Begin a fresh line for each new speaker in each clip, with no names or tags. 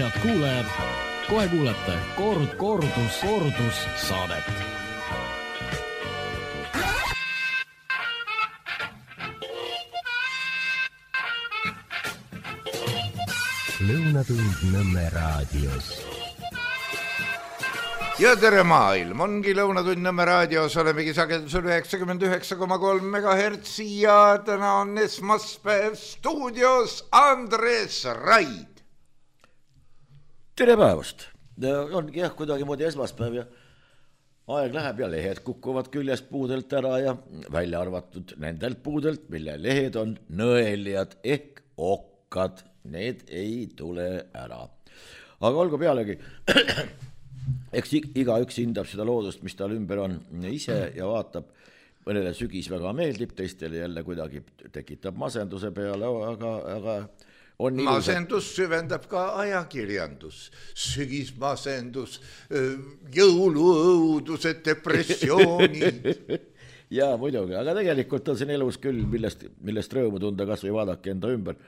Head kuulajad, kohe kuulete kordus saadet.
Lõunatund Nõmme raadios.
Ja tere maailm, ongi Lõunatund Nõmme raadios, olemegi sagedusel 99,3 MHz ja täna on esmaspäev stuudios Andres Raid.
Tere päevast, ongi jah kuidagi moodi esmaspäev ja aeg läheb ja lehed kukuvad küljest puudelt ära ja välja arvatud nendelt puudelt, mille lehed on nõelijad ehk okkad, need ei tule ära. Aga olgu pealegi, eks igaüks hindab seda loodust, mis tal ümber on ise ja vaatab, mõnele sügis väga meeldib, teistele jälle kuidagi tekitab masenduse peale, aga on
masendus süvendab ka ajakirjandus, sügismasendus, jõuluõudused, depressioonid.
Jaa, muidugi, aga tegelikult on siin elus küll, millest rõõmu tunda, kas või vaadake enda ümber.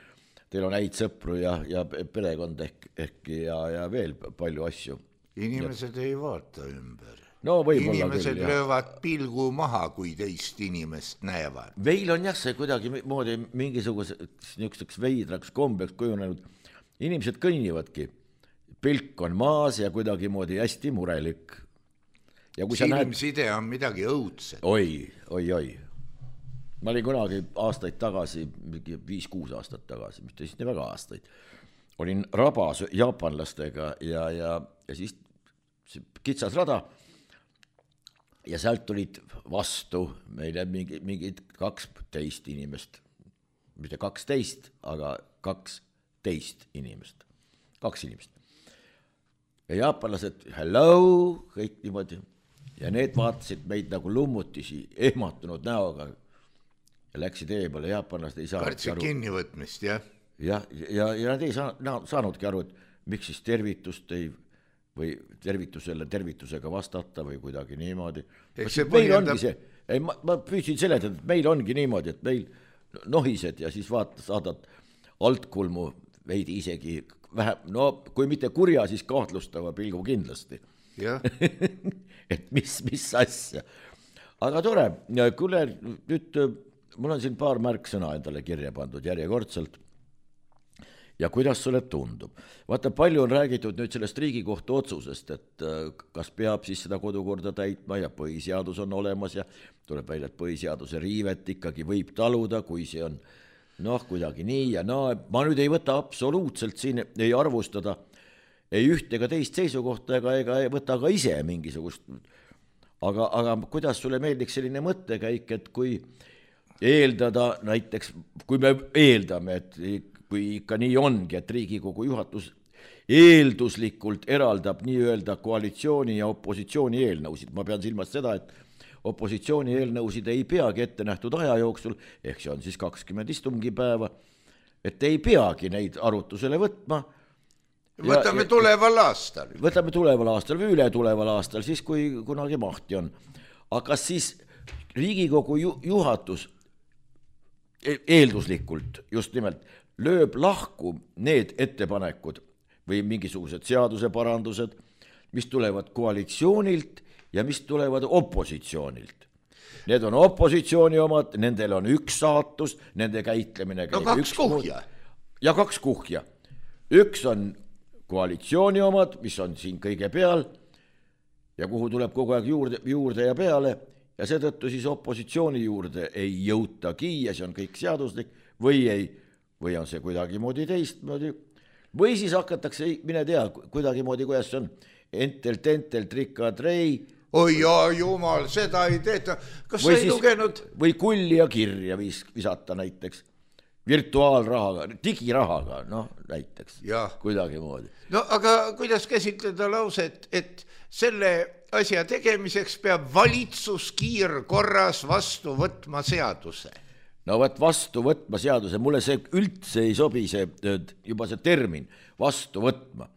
Teil on häid sõpru ja perekond ehk ja veel palju asju.
Inimesed ei vaata ümber.
No,
inimesed küll, löövad pilgu maha, kui teist inimest näevad.
Meil on jah see kuidagi moodi mingisuguseks veidraks kombeks kujunenud. Inimesed kõnnivadki. Pilk on maas ja kuidagi moodi hästi murelik.
Silmside on midagi õudset.
Oi. Ma olin kunagi aastaid tagasi, 5-6 aastat tagasi, mis teist nii väga aastaid. Olin rabas jaapanlastega ja siis kitsas rada. Ja sealt tulid vastu meile mingid 12 inimest. Mitte 12, aga 12 inimest. 2 inimest. Ja jaapanlased, hello, kõik niimoodi. Ja need vaatasid meid nagu lummutisi, ehmatunud näoga. Ja läksid eemale, jaapanlased ei saanudki
aru. Kartsi kinnivõtmist, jah? Ja
nad ei saanudki aru, et miks siis tervitust ei või tervitusega vastata või kuidagi niimoodi. Meil ongi see, ma püüdsin seletada, et meil ongi niimoodi, et meil nohised ja siis saadad altkulmu veidi isegi vähem, no kui mitte kurja, siis kahtlustava pilgu kindlasti. Et mis asja. Aga tore, kuule, nüüd mul on siin paar märksõna endale kirja pandud järjekordselt. Ja kuidas sulle tundub? Vaata, palju on räägitud nüüd sellest Riigikohtu otsusest, et kas peab siis seda kodukorda täitma ja põhiseadus on olemas ja tuleb välja, et põhiseaduse riivet ikkagi võib taluda, kui see on kuidagi nii ja ma nüüd ei võta absoluutselt siin, ei arvustada ei üht ega teist seisukohta ega ei võta ka ise mingisugust. Aga kuidas sulle meeldiks selline mõttekäik, et kui eeldada näiteks, kui me eeldame, et kui ikka nii ongi, et Riigikogu juhatus eelduslikult eraldab nii-öelda koalitsiooni ja opositsiooni eelnõusid. Ma pean silmas seda, et opositsiooni eelnõusid ei peagi ette nähtud aja jooksul, ehk see on siis 20 istungipäeva, et ei peagi neid arutusele võtma.
Võtame tuleval aastal.
Võtame tuleval aastal või üle tuleval aastal, siis kui kunagi mahti on. Aga siis Riigikogu juhatus eelduslikult just nimelt lööb lahku need ettepanekud või mingisugused seaduseparandused, mis tulevad koalitsioonilt ja mis tulevad opositsioonilt. Need on opositsiooni omad, nendel on üks saatus, nende käitlemine käib
kaks kuhja.
Ja 2 kuhja. Üks on koalitsiooni omad, mis on siin kõige peal ja kuhu tuleb kogu aeg juurde ja peale ja seetõttu siis opositsiooni juurde ei jõutagi ja see on kõik seaduslik või on see kuidagi moodi teistmoodi, või siis hakatakse, mine tea, kuidagi moodi, kuidas see on, entelt, rikadrei.
Oi, jumal, seda ei tehta. Kas sa ei lugenud?
Või kulli ja kirja visata näiteks, virtuaalrahaga, digirahaga, näiteks, kuidagi moodi.
No aga kuidas käsitleda lauset, et selle asja tegemiseks peab valitsus kiirkorras vastu võtma seaduse?
No vastu võtma seaduse, mulle see üldse ei sobi juba see termin vastu võtma.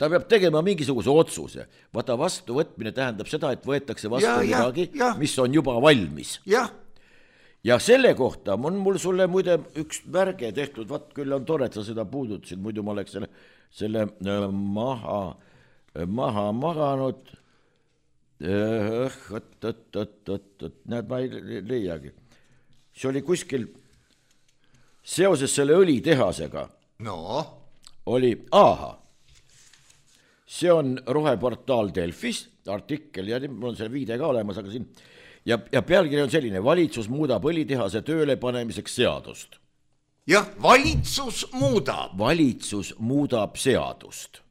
Ta peab tegema mingisuguse otsuse. Vaata, vastu võtmine tähendab seda, et võetakse vastu midagi, mis on juba valmis. Ja selle kohta on mul sulle muide üks värge tehtud, küll on tore, et sa seda puudutasid, muidu ma oleks selle selle maha maganud. Näed, ma ei leiagi. See oli kuskil seoses selle õlitehasega.
No.
Oli, see on roheportaal Delfis, artikkel ja mul on see viide ka olemas, aga siin ja pealkiri on selline: valitsus muudab õlitehase tööle panemiseks seadust.
Jah, valitsus
muudab seadust.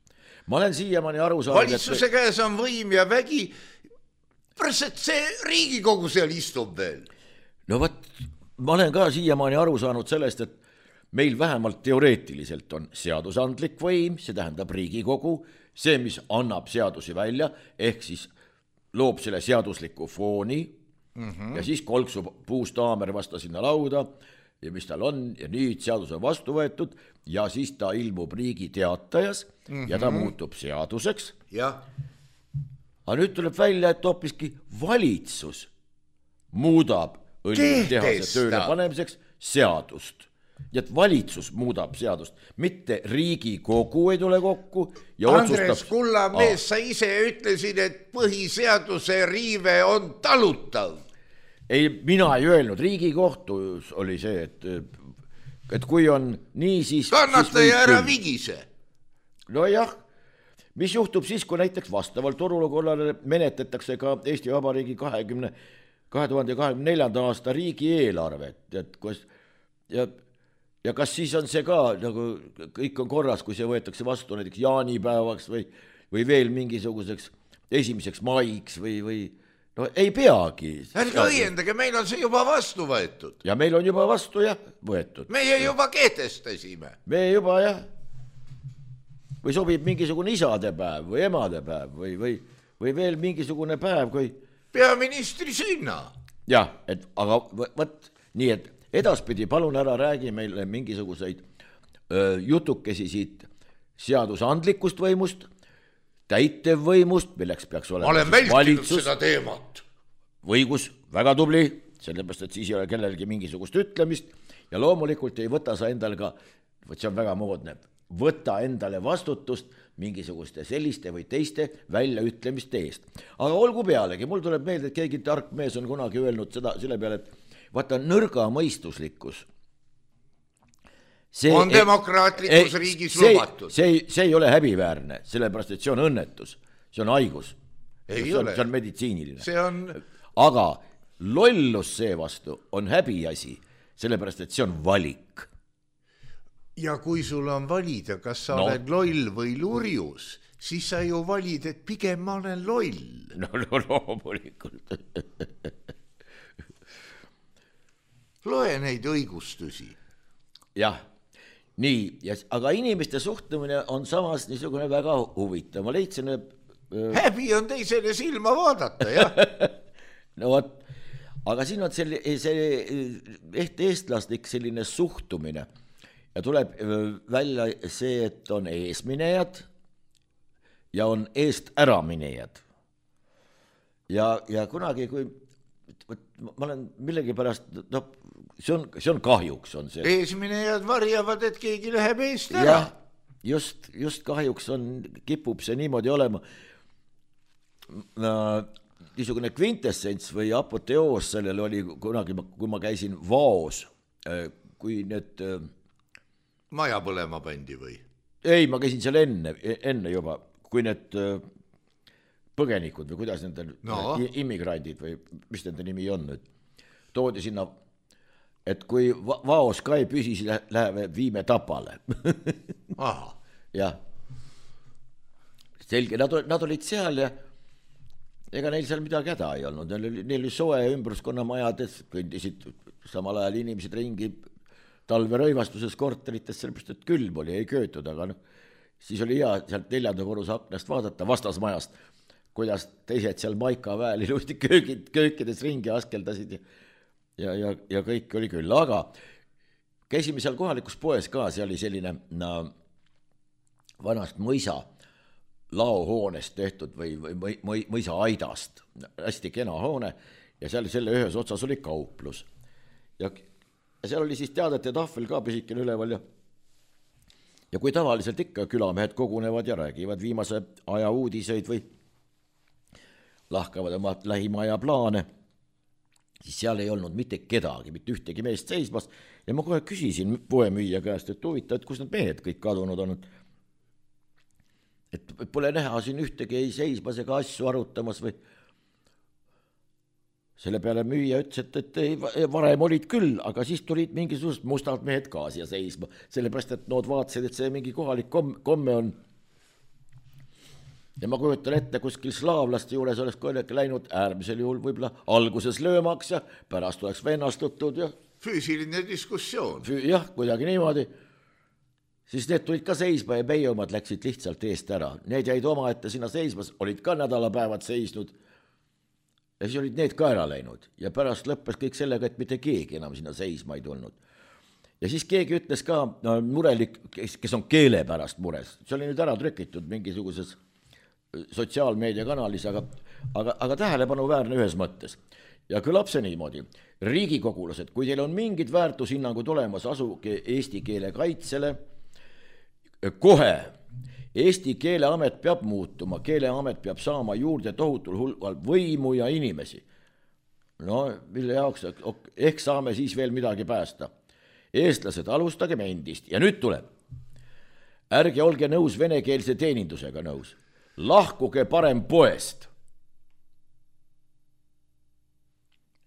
Ma olen siiamaani aru saanud,
valitsuse käes on võim ja vägi. Pärast see Riigikogu seal istub veel.
No võt, ma olen ka siiamaani aru saanud sellest, et meil vähemalt teoreetiliselt on seadusandlik võim, see tähendab Riigikogu, see, mis annab seadusi välja, ehk siis loob selle seadusliku fooni ja siis kolksub puust haamer vastu sinna lauda ja mis tal on ja nüüd seadus on vastu võetud ja siis ta ilmub Riigi Teatajas ja ta muutub seaduseks.
Jah.
Aga nüüd tuleb välja, et hoopiski valitsus muudab õlitehase tööle panemiseks seadust. Ja et valitsus muudab seadust, mitte Riigikogu ei tule kokku ja
Andres Kullamees, sa ise ütlesid, et põhiseaduse riive on talutav.
Ei, mina ei öelnud, Riigikohtus oli see, et kui on nii, siis...
Kannata ja ära vigise.
No jah, mis juhtub siis, kui näiteks vastavalt olukorrale menetletakse ka Eesti Vabariigi 2024. aasta riigieelarvet, et kus... Ja kas siis on see ka, nagu kõik on korras, kui see võetakse vastu näiteks jaanipäevaks või veel mingisuguseks 1. maiks või no ei peagi.
Ärge õiendage, meil on see juba vastu võetud.
Ja meil on juba vastu võetud.
Meie juba kehtestasime.
Meie juba või sobib mingisugune isadepäev või emadepäev või veel mingisugune päev, kui...
Peaministri sünna.
Jah, aga võt nii, et edaspidi palun ära räägi meile mingisuguseid jutukesi siit seadusandlikust võimust, täitevvõimust, milleks peaks olema
ma olen vältinud seda teemat.
Õigus, väga tubli, sellepärast, et siis ei ole kellelgi mingisugust ütlemist ja loomulikult ei võta sa endale ka, see on väga moodne, võta endale vastutust mingisuguste selliste või teiste väljaütlemiste eest. Aga olgu pealegi, mul tuleb meelde, et keegi tark mees on kunagi öelnud seda selle peale, et vaata, nõrga mõistuslikkus.
On demokraatlikus riigis lubatud.
See ei ole häbiväärne, sellepärast, et see on õnnetus. See on haigus. See on meditsiiniline. Aga lollus seevastu on häbiasi, sellepärast, et see on valik.
Ja kui sul on valida, kas sa oled loll või lurjus, siis sa ju valid, et pigem ma olen loll.
No loomulikult.
Loe neid õigustusi.
Jah, nii, aga inimeste suhtumine on samas niisugune väga huvitav. Ma leidsin...
Häbi on teisele silma vaadata, jah.
No võt, aga siin on see eestlaslik selline suhtumine ja tuleb välja see, et on eesminejad ja on eest äraminejad. Ja kunagi, kui ma olen millegi pärast, see on kahjuks on see.
Eesminejad varjavad, et keegi läheb eest ära.
Ja, just kahjuks kipub see niimoodi olema. Niisugune kvintessents või apoteoos sellel oli kunagi, kui ma käisin Vaos, kui need...
Maja põlema pandi või?
Ei, ma käisin seal enne juba, kui need põgenikud või kuidas nende immigrandid või mis nende nimi on nüüd, toodi sinna, et kui Vaos ka ei püsi, siis läheme viime Tapale. Jah. Selge, nad olid seal ja ega neil seal midagi häda ei olnud. Neil oli soe ümbruskonna majades, kõndisid samal ajal inimesed ringi talve rõivastuses korterites, sellepärast, et külm oli, ei köötud, aga siis oli hea sealt 4. korruse aknast vaadata vastasmajast, kuidas teised seal Maika väel ilusti köökides ringi askeldasid ja kõik oli küll. Aga käisime seal kohalikus poes ka, see oli selline vanast mõisa laohoonest tehtud või mõisa aidast, hästi kena hoone ja seal selle ühes otsas oli kauplus. Ja seal oli siis teadete tahvel ka pisikene üleval ja kui tavaliselt ikka külamehed kogunevad ja räägivad viimase aja uudiseid või lahkavad oma lähimaja plaane, siis seal ei olnud mitte kedagi, mitte ühtegi meest seismas ja ma kohe küsisin poemüüja käest, et huvitav, et kus need mehed kõik kadunud on, et pole näha siin ühtegi ei seismas ega asju arutamas või. Selle peale müüja ütles, et varem olid küll, aga siis tulid mingisugused mustad mehed ka siia seisma, sellepärast, et nood vaatasid, et see mingi kohalik komme on. Ja ma kujutan ette, kuskil slaavlaste juures oleks kohe läinud äärmisel juhul võib-olla alguses löömaks ja pärast oleks vennastutud ja
füüsiline diskussioon.
Jah, kuidagi niimoodi. Siis need tulid ka seisma ja meie omad läksid lihtsalt eest ära. Need jäid oma ette sinna seismas, olid ka nädalapäevad seisnud ja siis olid need ka ära läinud ja pärast lõppes kõik sellega, et mitte keegi enam sinna seisma ei tulnud. Ja siis keegi ütles ka murelik, kes on keele pärast mures, see oli nüüd ära trükitud mingisuguses sotsiaalmeediakanalis, aga tähelepanuväärne ühes mõttes. Ja kõlab see niimoodi. Riigikogulased, kui teil on mingid väärtushinnangud olemas, asuge eesti keele kaitsele, kohe Eesti keeleamet peab muutuma, keeleamet peab saama juurde tohutul hulgal võimu ja inimesi. No, mille jaoks, ehk saame siis veel midagi päästa. Eestlased, alustagem endist ja nüüd tuleb. Ärge olge nõus venekeelse teenindusega nõus. Lahkuge parem poest.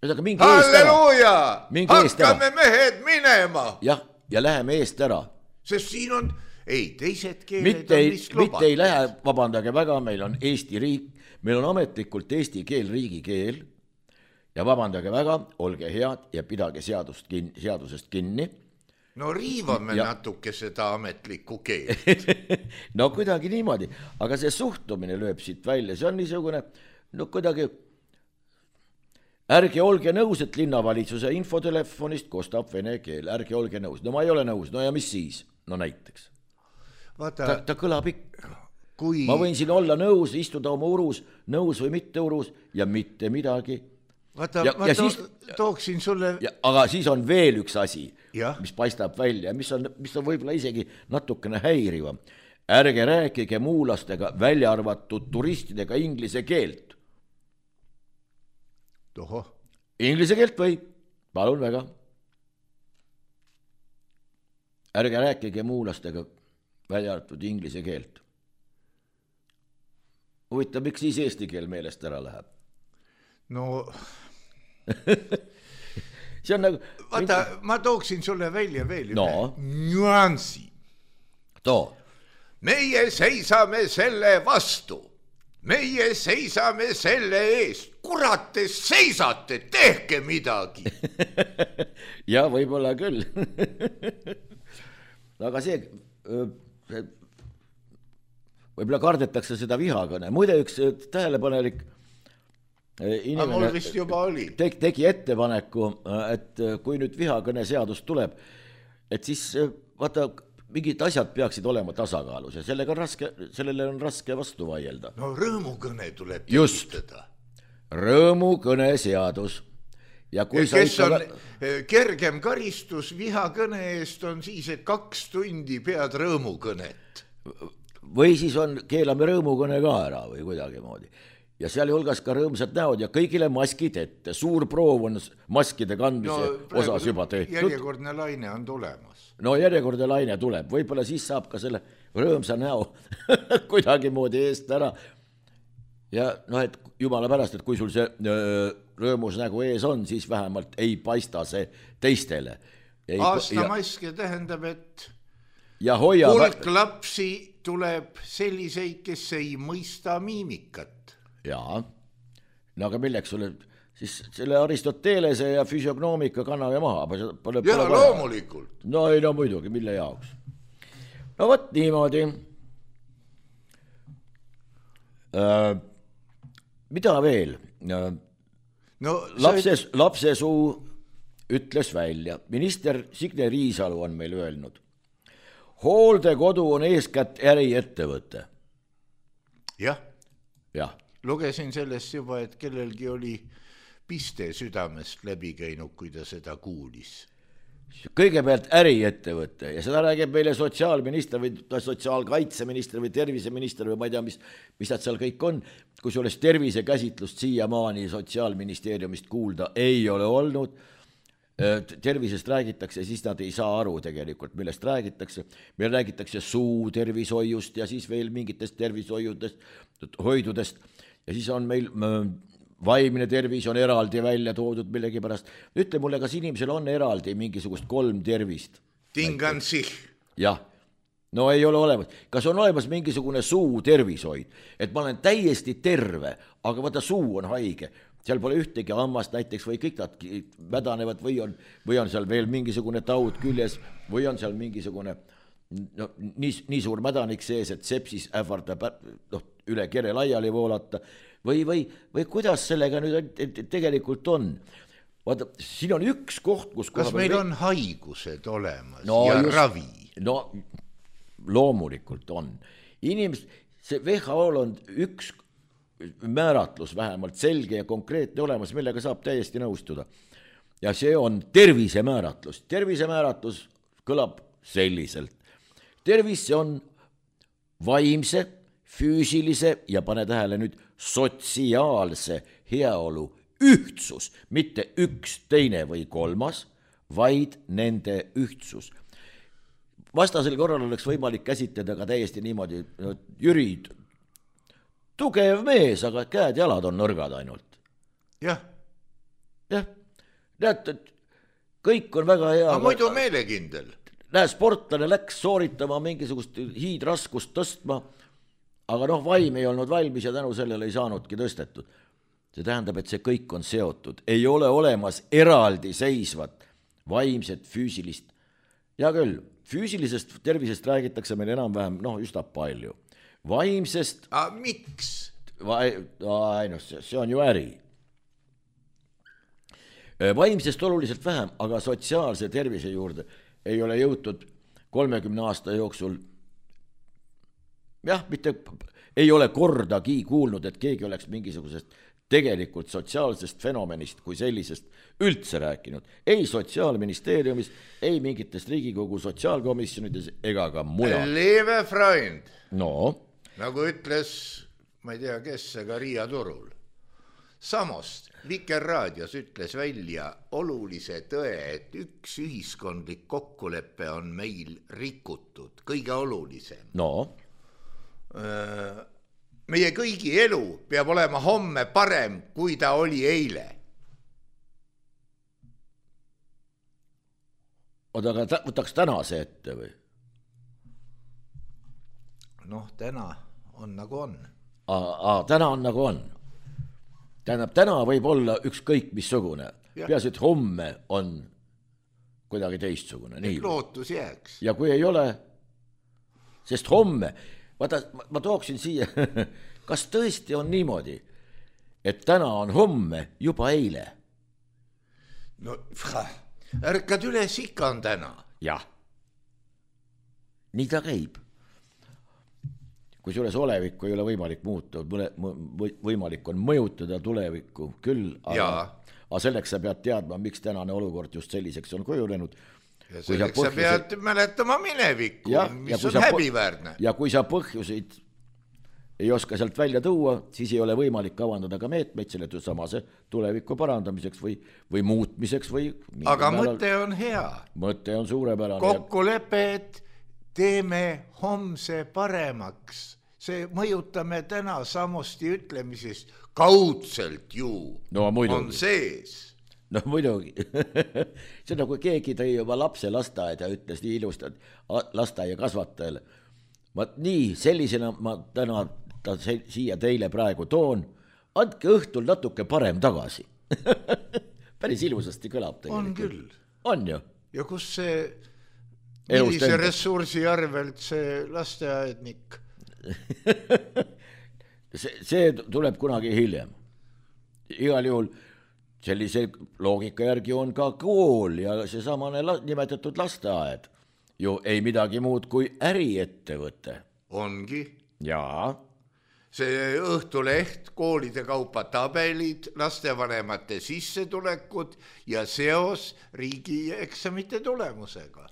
Halleluuja! Hakkame mehed minema!
Jah, ja läheme eest ära.
Sest siin on, teised keeled on vist lubatud.
Mitte ei lähe, vabandage väga, meil on Eesti riik, meil on ametlikult eesti keel riigikeel ja vabandage väga, olge head ja pidage seadusest kinni.
No riivame natuke seda ametlikku keelt.
No kuidagi niimoodi, aga see suhtumine lööb siit välja, see on niisugune, no kuidagi, ärge olge nõus, et linnavalitsuse infotelefonist kostab vene keel, ärge olge nõus, no ma ei ole nõus, no ja mis siis, no näiteks. Ta kõlab ikka. Ma võin siin olla nõus, istuda oma urus, nõus või mitte urus ja mitte midagi.
Vaata, ma tooksin sulle...
Aga siis on veel üks asi, mis paistab välja, mis on võib-olla isegi natukene häirivam. Ärge rääkige muulastega välja arvatud turistidega inglise keelt. Inglise keelt või? Palun väga. Ärge rääkige muulastega välja arvatud inglise keelt. Huvitav, miks siis eesti keel meelest ära läheb?
No...
see on nagu...
Vaata, ma tooksin sulle välja veel nüansi. Meie seisame selle vastu. Meie seisame selle eest. Kurat, te seisate, tehke midagi.
Ja võib-olla küll. Aga see võib-olla kardetakse seda vihakõne. Muide, üks tähelepanelik inimene
vist juba oli.
Tegi ettepaneku, et kui nüüd vihakõne seadus tuleb, et siis vaata, mingid asjad peaksid olema tasakaalus ja sellele on raske vastu vaielda.
No rõõmukõne tuleb tekitada.
Rõõmukõne seadus. Ja kui
kes on kergem karistus vihakõne eest on siis, et 2 tundi pead rõõmukõnet.
Või siis keelame rõõmukõne ka ära või kuidagi moodi. Ja seal hulgas ka rõõmsad näod ja kõigile maskid ette. Suur proov on maskide kandmise osas juba tehtud.
Järjekordne laine on tulemas.
No järjekordne laine tuleb. Võib-olla siis saab ka selle rõõmsa näo kuidagi moodi eest ära. Ja et jumala pärast, et kui sul see rõõmus nägu ees on, siis vähemalt ei paista see teistele.
Aastamaske tähendab, et hulk lapsi tuleb selliseid, kes ei mõista miimikat.
Jaa, no aga milleks sulle siis selle Aristotelese ja füsiognoomika kanname maha?
Loomulikult.
No ei, no muidugi, mille jaoks? No võt niimoodi. Mida veel? Lapse suu ütles välja. Minister Signe Riisalu on meil öelnud. Hooldekodu on eeskätt äriettevõte.
Jah. Lugesin sellest juba, et kellelgi oli piste südamest läbi käinud, kui ta seda kuulis.
kõigepealt äriettevõte ja seda räägib meile sotsiaalminister või sotsiaalkaitseminister või terviseminister või ma ei tea, mis nad seal kõik on, kusjuures tervisekäsitlust siiamaani Sotsiaalministeeriumist kuulda ei ole olnud. Tervisest räägitakse, siis nad ei saa aru tegelikult, millest räägitakse. Meil räägitakse suutervishoiust ja siis veel mingitest tervishoidudest ja siis on meil vaimne tervis on eraldi välja toodud millegi pärast. Ütle mulle, kas inimesel on eraldi mingisugust 3 tervist?
Tingan sich.
Jah, no ei ole olemas. Kas on olemas mingisugune suutervishoid? Et ma olen täiesti terve, aga vaata suu on haige. Seal pole ühtegi hammast näiteks või kõik nad mädanevad või on seal veel mingisugune taud küljes või on seal mingisugune nii suur mädanik sees, et sepsis ähvardab üle kere laiali voolata või kuidas sellega nüüd tegelikult on? Vaata, siin on üks koht, kus
kas meil on haigused olemas ja ravi?
No loomulikult on. See WHO-l on üks määratlus vähemalt selge ja konkreetne olemas, millega saab täiesti nõustuda. Ja see on tervisemääratlus. Tervisemääratlus kõlab selliselt. Tervis on vaimse, füüsilise ja pane tähele nüüd sotsiaalse heaolu ühtsus, mitte üks, teine või kolmas, vaid nende ühtsus. Vastasel korral oleks võimalik käsitleda ka täiesti niimoodi, Jüri, tugev mees, aga käed-jalad on nõrgad ainult.
Jah.
Näed, kõik on väga hea.
Aga muidu meelekindel.
Näe, sportlane läks sooritama mingisugust hiidraskust tõstma, aga vaim ei olnud valmis ja tänu sellele ei saanudki tõstetud. See tähendab, et see kõik on seotud. Ei ole olemas eraldi seisvat vaimset, füüsilist. Ja küll, füüsilisest tervisest räägitakse meil enam-vähem, üsna palju. Vaimsest...
miks?
See on ju äri. Vaimsest oluliselt vähem, aga sotsiaalse tervise juurde ei ole jõutud 30 aasta jooksul. Mitte ei ole kordagi kuulnud, et keegi oleks mingisugusest tegelikult sotsiaalsest fenomenist kui sellisest üldse rääkinud. Ei Sotsiaalministeeriumis, ei mingitest Riigikogu sotsiaalkomisjonides ega ka mujal.
Liebe Freund.
No.
Nagu ütles, ma ei tea, kes ega Riia Turul. Samost Vikerraadios ütles välja olulise tõe, et üks ühiskondlik kokkulepe on meil rikutud. Kõige olulisem.
No.
Meie kõigi elu peab olema homme parem, kui ta oli eile.
Aga võtaks tänase ette või?
Täna on nagu on.
Täna on nagu on. Tähendab, täna võib olla ükskõik missugune. Peaasi, et homme on kuidagi teistsugune.
Lootus jääks.
Ja kui ei ole, sest homme... Vaata, ma tooksin siia, kas tõesti on niimoodi, et täna on homme juba eile?
Ärkad üles, ikka on täna.
Jah, nii ta käib. Kui suures olevikku ei ole võimalik muuta, võimalik on mõjutada tulevikku küll, aga selleks sa pead teadma, miks tänane olukord just selliseks on kujunenud.
Ja selleks sa pead mäletama minevikku, mis on häbiväärne.
Ja kui sa põhjuseid ei oska sealt välja tuua, siis ei ole võimalik kavandada ka meetmeid selle samase tuleviku parandamiseks või muutmiseks.
Aga mõte on hea.
Mõte on suurepärane.
Kokkulepe, et teeme homse paremaks. See mõjutame täna samusti ütlemisest kaudselt ju on sees.
No muidugi, see on nagu keegi tõi juba lapse lasteaeda ja ütles nii ilusti lasteaia kasvatajale. Nii, sellisena ma täna siia teile praegu toon, andke õhtul natuke parem tagasi. Päris ilusasti kõlab tegelikult.
On küll.
On ju.
Ja kus see, millise ressursi arvelt see lasteaednik?
See tuleb kunagi hiljem. Igal juhul sellise loogika järgi on ka kool ja see samane nimetatud lasteaed. Ju ei midagi muud kui äriettevõte.
Ongi.
Jaa.
see Õhtuleht, koolide kaupa tabelid, lastevanemate sissetulekud ja seos riigieksamite tulemusega.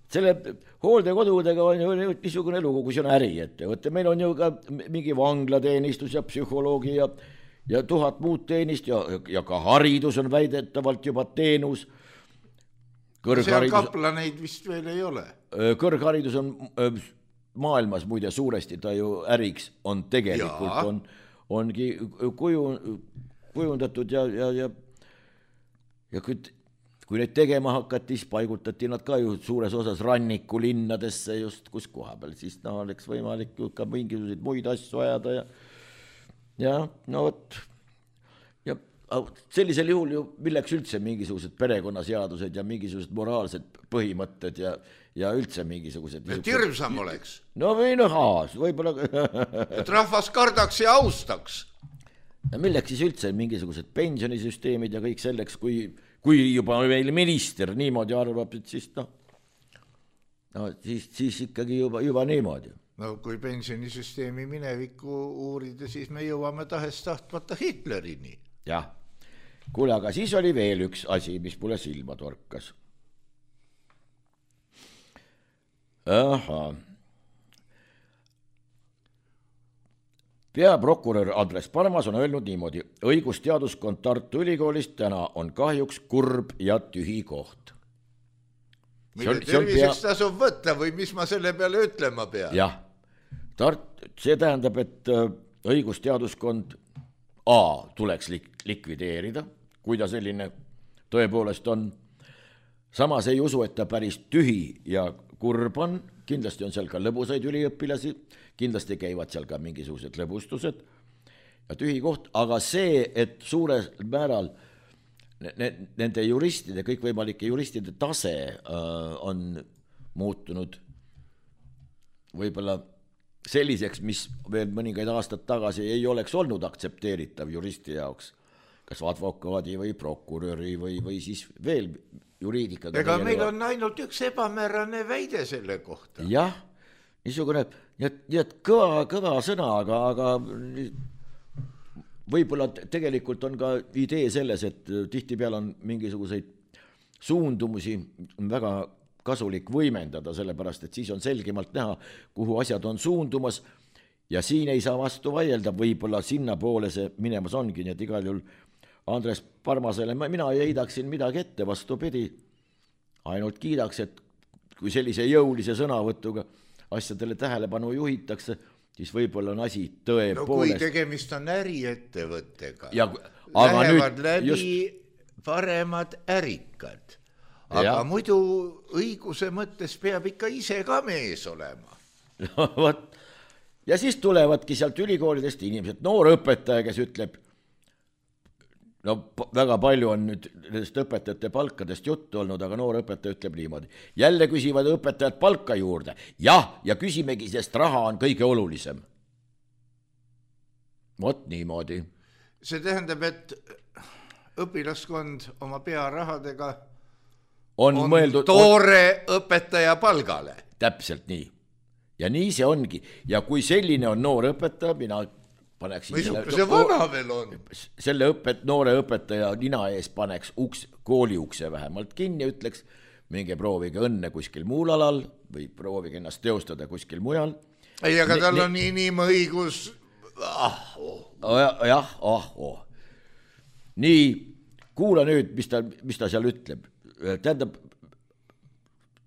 Selle hooldekodudega on ju niisugune lugu, kui see on äriettevõte. Meil on ju ka mingi vanglateenistus ja psühholoogi ja 1000 muud teenist ja ka haridus on väidetavalt juba teenus.
Seal kaplaneid vist veel ei ole.
Kõrgharidus on maailmas muide suuresti, ta ju äriks on tegelikult, ongi kujundatud ja kui neid tegema hakati, siis paigutati nad ka ju suures osas rannikulinnadesse just kus koha peal, siis oleks võimalik ka mingisuguseid muid asju ajada ja no võt. Ja sellisel juhul ju milleks üldse mingisugused perekonnaseadused ja mingisugused moraalsed põhimõtted ja üldse mingisugused...
Et hirmsam oleks.
No või võib-olla...
Et rahvas kardaks ja austaks.
Ja milleks siis üldse mingisugused pensionisüsteemid ja kõik selleks, kui juba meil minister niimoodi arvab, et siis siis ikkagi juba niimoodi.
No kui pensionisüsteemi minevikku uurida, siis me jõuame tahtmata Hitlerini.
Jah, kuule, aga siis oli veel üks asi, mis mulle silma torkas. Peaprokurör Andres Parmas on öelnud niimoodi: õigusteaduskond Tartu Ülikoolist täna on kahjuks kurb ja tühi koht.
Mille terviseks tasub võtta või mis ma selle peale ütlema pean?
Jah, see tähendab, et õigusteaduskond tuleks likvideerida, kui ta selline tõepoolest on. Samas ei usu, et ta päris tühi ja kurb on, kindlasti on seal ka lõbusaid üliõpilasi, kindlasti käivad seal ka mingisugused lõbustused ja tühi koht, aga see, et suurel määral nende juristide, kõikvõimalike juristide tase on muutunud võib-olla selliseks, mis veel mõningaid aastad tagasi ei oleks olnud aktsepteeritav juristi jaoks, kas advokaadi või prokuröri või siis veel juriidikaga.
Ega meil on ainult üks ebamäärane väide selle kohta.
Jah, niisugune kõva sõna, aga võib-olla tegelikult on ka idee selles, et tihtipeale on mingisuguseid suundumusi väga kasulik võimendada, sellepärast, et siis on selgemalt näha, kuhu asjad on suundumas ja siin ei saa vastu vaielda, võib-olla sinna poole see minemas ongi, nii et igal juhul Andres Parmasele mina ei heidaks siin midagi ette, vastupidi, ainult kiidaks, et kui sellise jõulise sõnavõtuga asjadele tähelepanu juhitakse, siis võib-olla on asi tõepoolest.
No kui tegemist on äriettevõttega, lähevad läbi paremad ärikad, aga muidu õiguse mõttes peab ikka ise ka mees olema.
Ja siis tulevadki sealt ülikoolidest inimesed, noor õpetaja, kes ütleb, no väga palju on nüüd nendest õpetajate palkadest juttu olnud, aga noor õpetaja ütleb niimoodi. Jälle küsivad õpetajad palka juurde. Jah, ja küsimegi, sest raha on kõige olulisem. Vot niimoodi.
See tähendab, et õpilaskond oma pearahadega
on mõeldud
toore õpetaja palgale.
Täpselt nii. Ja nii see ongi. Ja kui selline on noor õpetaja, mina paneksin
see vana veel on.
Selle noore õpetaja nina ees paneks kooli ukse vähemalt kinni ja ütleks, minge proovige õnne kuskil muul alal või proovige ennast teostada kuskil mujal.
Ei, aga tal on inimõigus.
Jah, Nii, kuula nüüd, mis ta seal ütleb. Tähendab,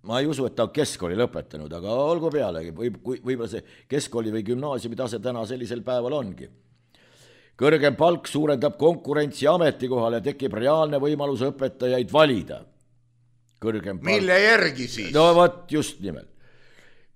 ma ei usu, et ta on keskkooli lõpetanud, aga olgu pealegi, võib-olla see keskkooli või gümnaasiumi tase täna sellisel päeval ongi. Kõrgem palk suurendab konkurentsi ametikohale ja tekib reaalne võimalus õpetajaid valida.
Mille järgi siis?
No võt, just nimelt.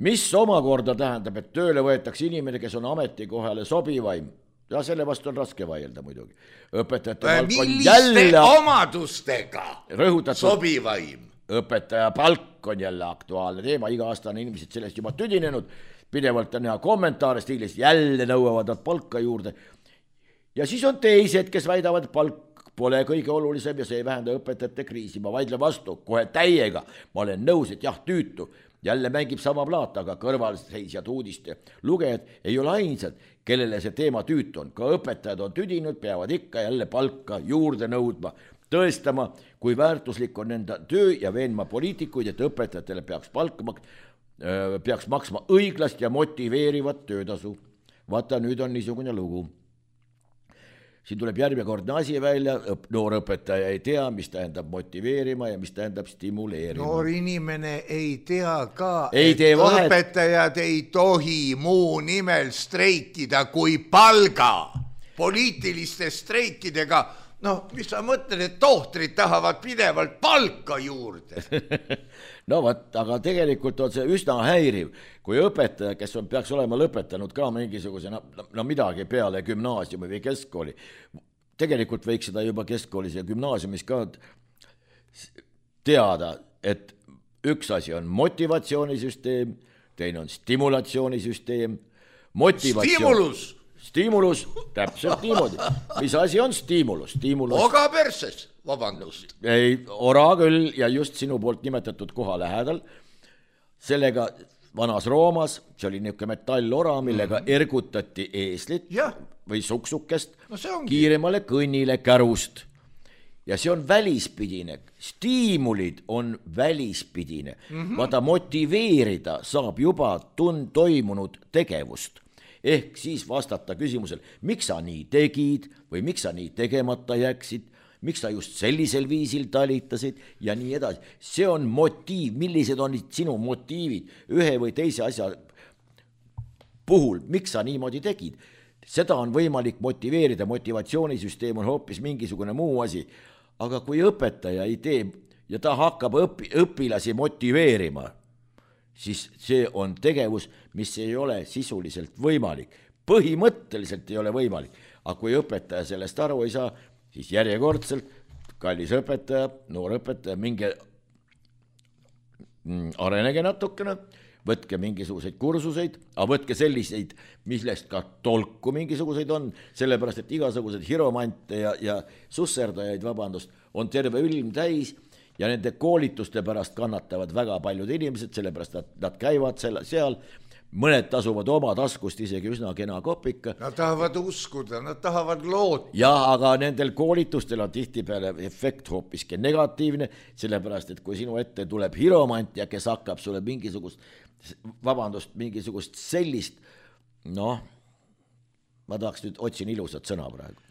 Mis omakorda tähendab, et tööle võetakse inimene, kes on ametikohale sobivaim. Ja selle vastu on raske vaielda muidugi.
Milliste omadustega sobivaim?
Õpetaja palk on jälle aktuaalne teema, iga aasta on inimesed sellest juba tüdinenud, pidevalt on näha kommentaare stiilis, jälle nõuavad nad palka juurde. Ja siis on teised, kes väidavad, palk pole kõige olulisem ja see ei vähenda õpetajate kriisi. Ma vaidlen vastu kohe täiega, ma olen nõus, et jah, tüütu jälle mängib sama plaat, aga kõrvalseisjad uudiste lugejad ei ole ainsad, kellele see teema tüütu on. Ka õpetajad on tüdinud, peavad ikka jälle palka juurde nõudma, tõestama, kui väärtuslik on enda töö ja veenma poliitikuid, et õpetajatele peaks maksma õiglast ja motiveerivat töötasu. Vaata, nüüd on niisugune lugu. Siin tuleb järjekordne asi välja, noor õpetaja ei tea, mis tähendab motiveerima ja mis tähendab stimuleerima.
Noor inimene ei tea ka,
vahet.
Õpetajad ei tohi muu nimel streikida kui palga. Poliitiliste streikidega, mis sa mõtled, et tohtrid tahavad pidevalt palka juurde?
No võt, aga tegelikult on see üsna häiriv, kui õpetaja, kes peaks olema lõpetanud ka mingisuguse midagi peale gümnaasiumi või keskkooli, tegelikult võiks seda juba keskkoolis ja gümnaasiumis ka teada, et üks asi on motivatsioonisüsteem, teine on stimulatsioonisüsteem. Stimulus, täpselt niimoodi. Mis asi on stimulus?
Oga perses, vabandust.
Ei, ora küll ja just sinu poolt nimetatud koha lähedal. Sellega vanas Roomas, see oli niisugune metallora, millega ergutati eeslit või suksukest kiiremale kõnnile kärust. Ja see on välispidine. Stiimulid on välispidine. Vaata, motiveerida saab juba toimunud tegevust. Ehk siis vastata küsimusel, miks sa nii tegid või miks sa nii tegemata jäksid, miks sa just sellisel viisil talitasid ja nii edasi. See on motiiv, millised on sinu motiivid ühe või teise asja puhul, miks sa niimoodi tegid. Seda on võimalik motiveerida, motivatsioonisüsteem on hoopis mingisugune muu asi, aga kui õpetaja ei tee ja ta hakkab õpilasi motiveerima, siis see on tegevus, mis ei ole sisuliselt võimalik. Põhimõtteliselt ei ole võimalik, aga kui õpetaja sellest aru ei saa, siis järjekordselt, kallis õpetaja, noor õpetaja, minge arenege natukene, võtke mingisuguseid kursuseid, aga võtke selliseid, millest ka tolku mingisuguseid on, sellepärast, et igasugused hiromante ja susserdajaid, on terve ilm täis, ja nende koolituste pärast kannatavad väga paljud inimesed, sellepärast nad käivad seal, mõned tasuvad oma taskust isegi üsna kena kopika.
Nad tahavad uskuda, nad tahavad loota.
Ja, aga nendel koolitustel on tihtipeale efekt hoopiski negatiivne, sellepärast, et kui sinu ette tuleb hiromant ja kes hakkab sulle mingisugust sellist, ma tahaks nüüd otsin ilusat sõna praegu.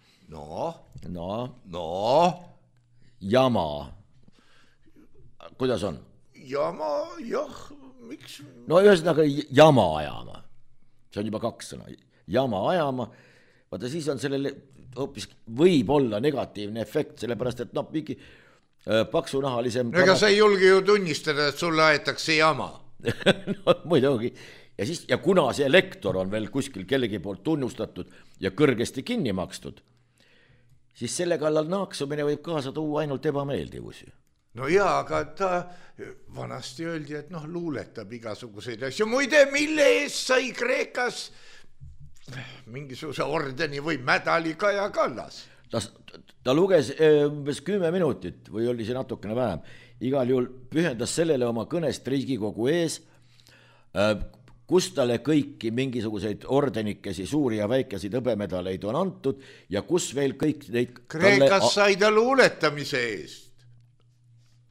Jama. Kuidas on?
Jama, jah, miks?
No ühesõnaga jama ajama. See on juba 2 sõna. Jama ajama. Vaata, siis on sellele hoopis võib olla negatiivne efekt, sellepärast, et mingi paksunahalisem...
Ega sa ei julge ju tunnistada, et sulle aetakse jama.
No, muidugi. Ja kuna see lektor on veel kuskil kellegi poolt tunnustatud ja kõrgesti kinni makstud, siis selle kallal naaksumine võib kaasa tuua ainult ebameeldivusi.
No jaa, aga ta vanasti öeldi, et luuletab igasuguseid asju. Muide, mille eest sai Kreekas mingisuguse ordeni või medali Kaja Kallas?
Ta luges umbes 10 minutit või oli see natukene vähem. Igal juhul pühendas sellele oma kõnest Riigikogu ees, kus talle kõiki mingisuguseid ordenikesi, suuri ja väikeseid hõbemedaleid on antud ja kus veel kõik neid...
Kreekas sai ta luuletamise eest.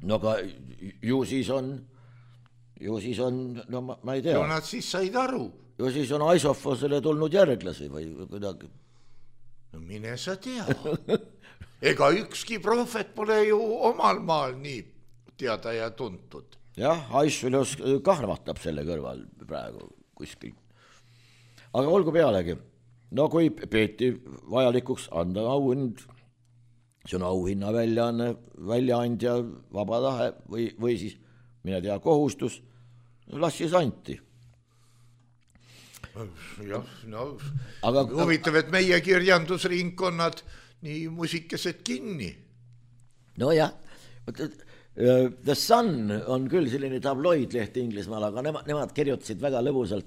No aga ju siis on, ma ei tea.
Ju nad siis said aru.
Ju siis on Aisofosele tulnud järglasi või kuidagi.
No mine sa tea. Ega ükski prohvet pole ju omal maal nii teada ja tuntud.
Jah, Aisfilos kahvatab selle kõrval praegu kuskil. Aga olgu pealegi, kui peeti vajalikuks anda auhind, see on auhinna väljaandja vaba tahe või siis, mine tea, kohustus, las siis anti.
Jah, aga huvitav, et meie kirjandusringkonnad nii musikesed kinni.
No jah, The Sun on küll selline tabloidleht Inglismaal, aga nemad kirjutasid väga lõbusalt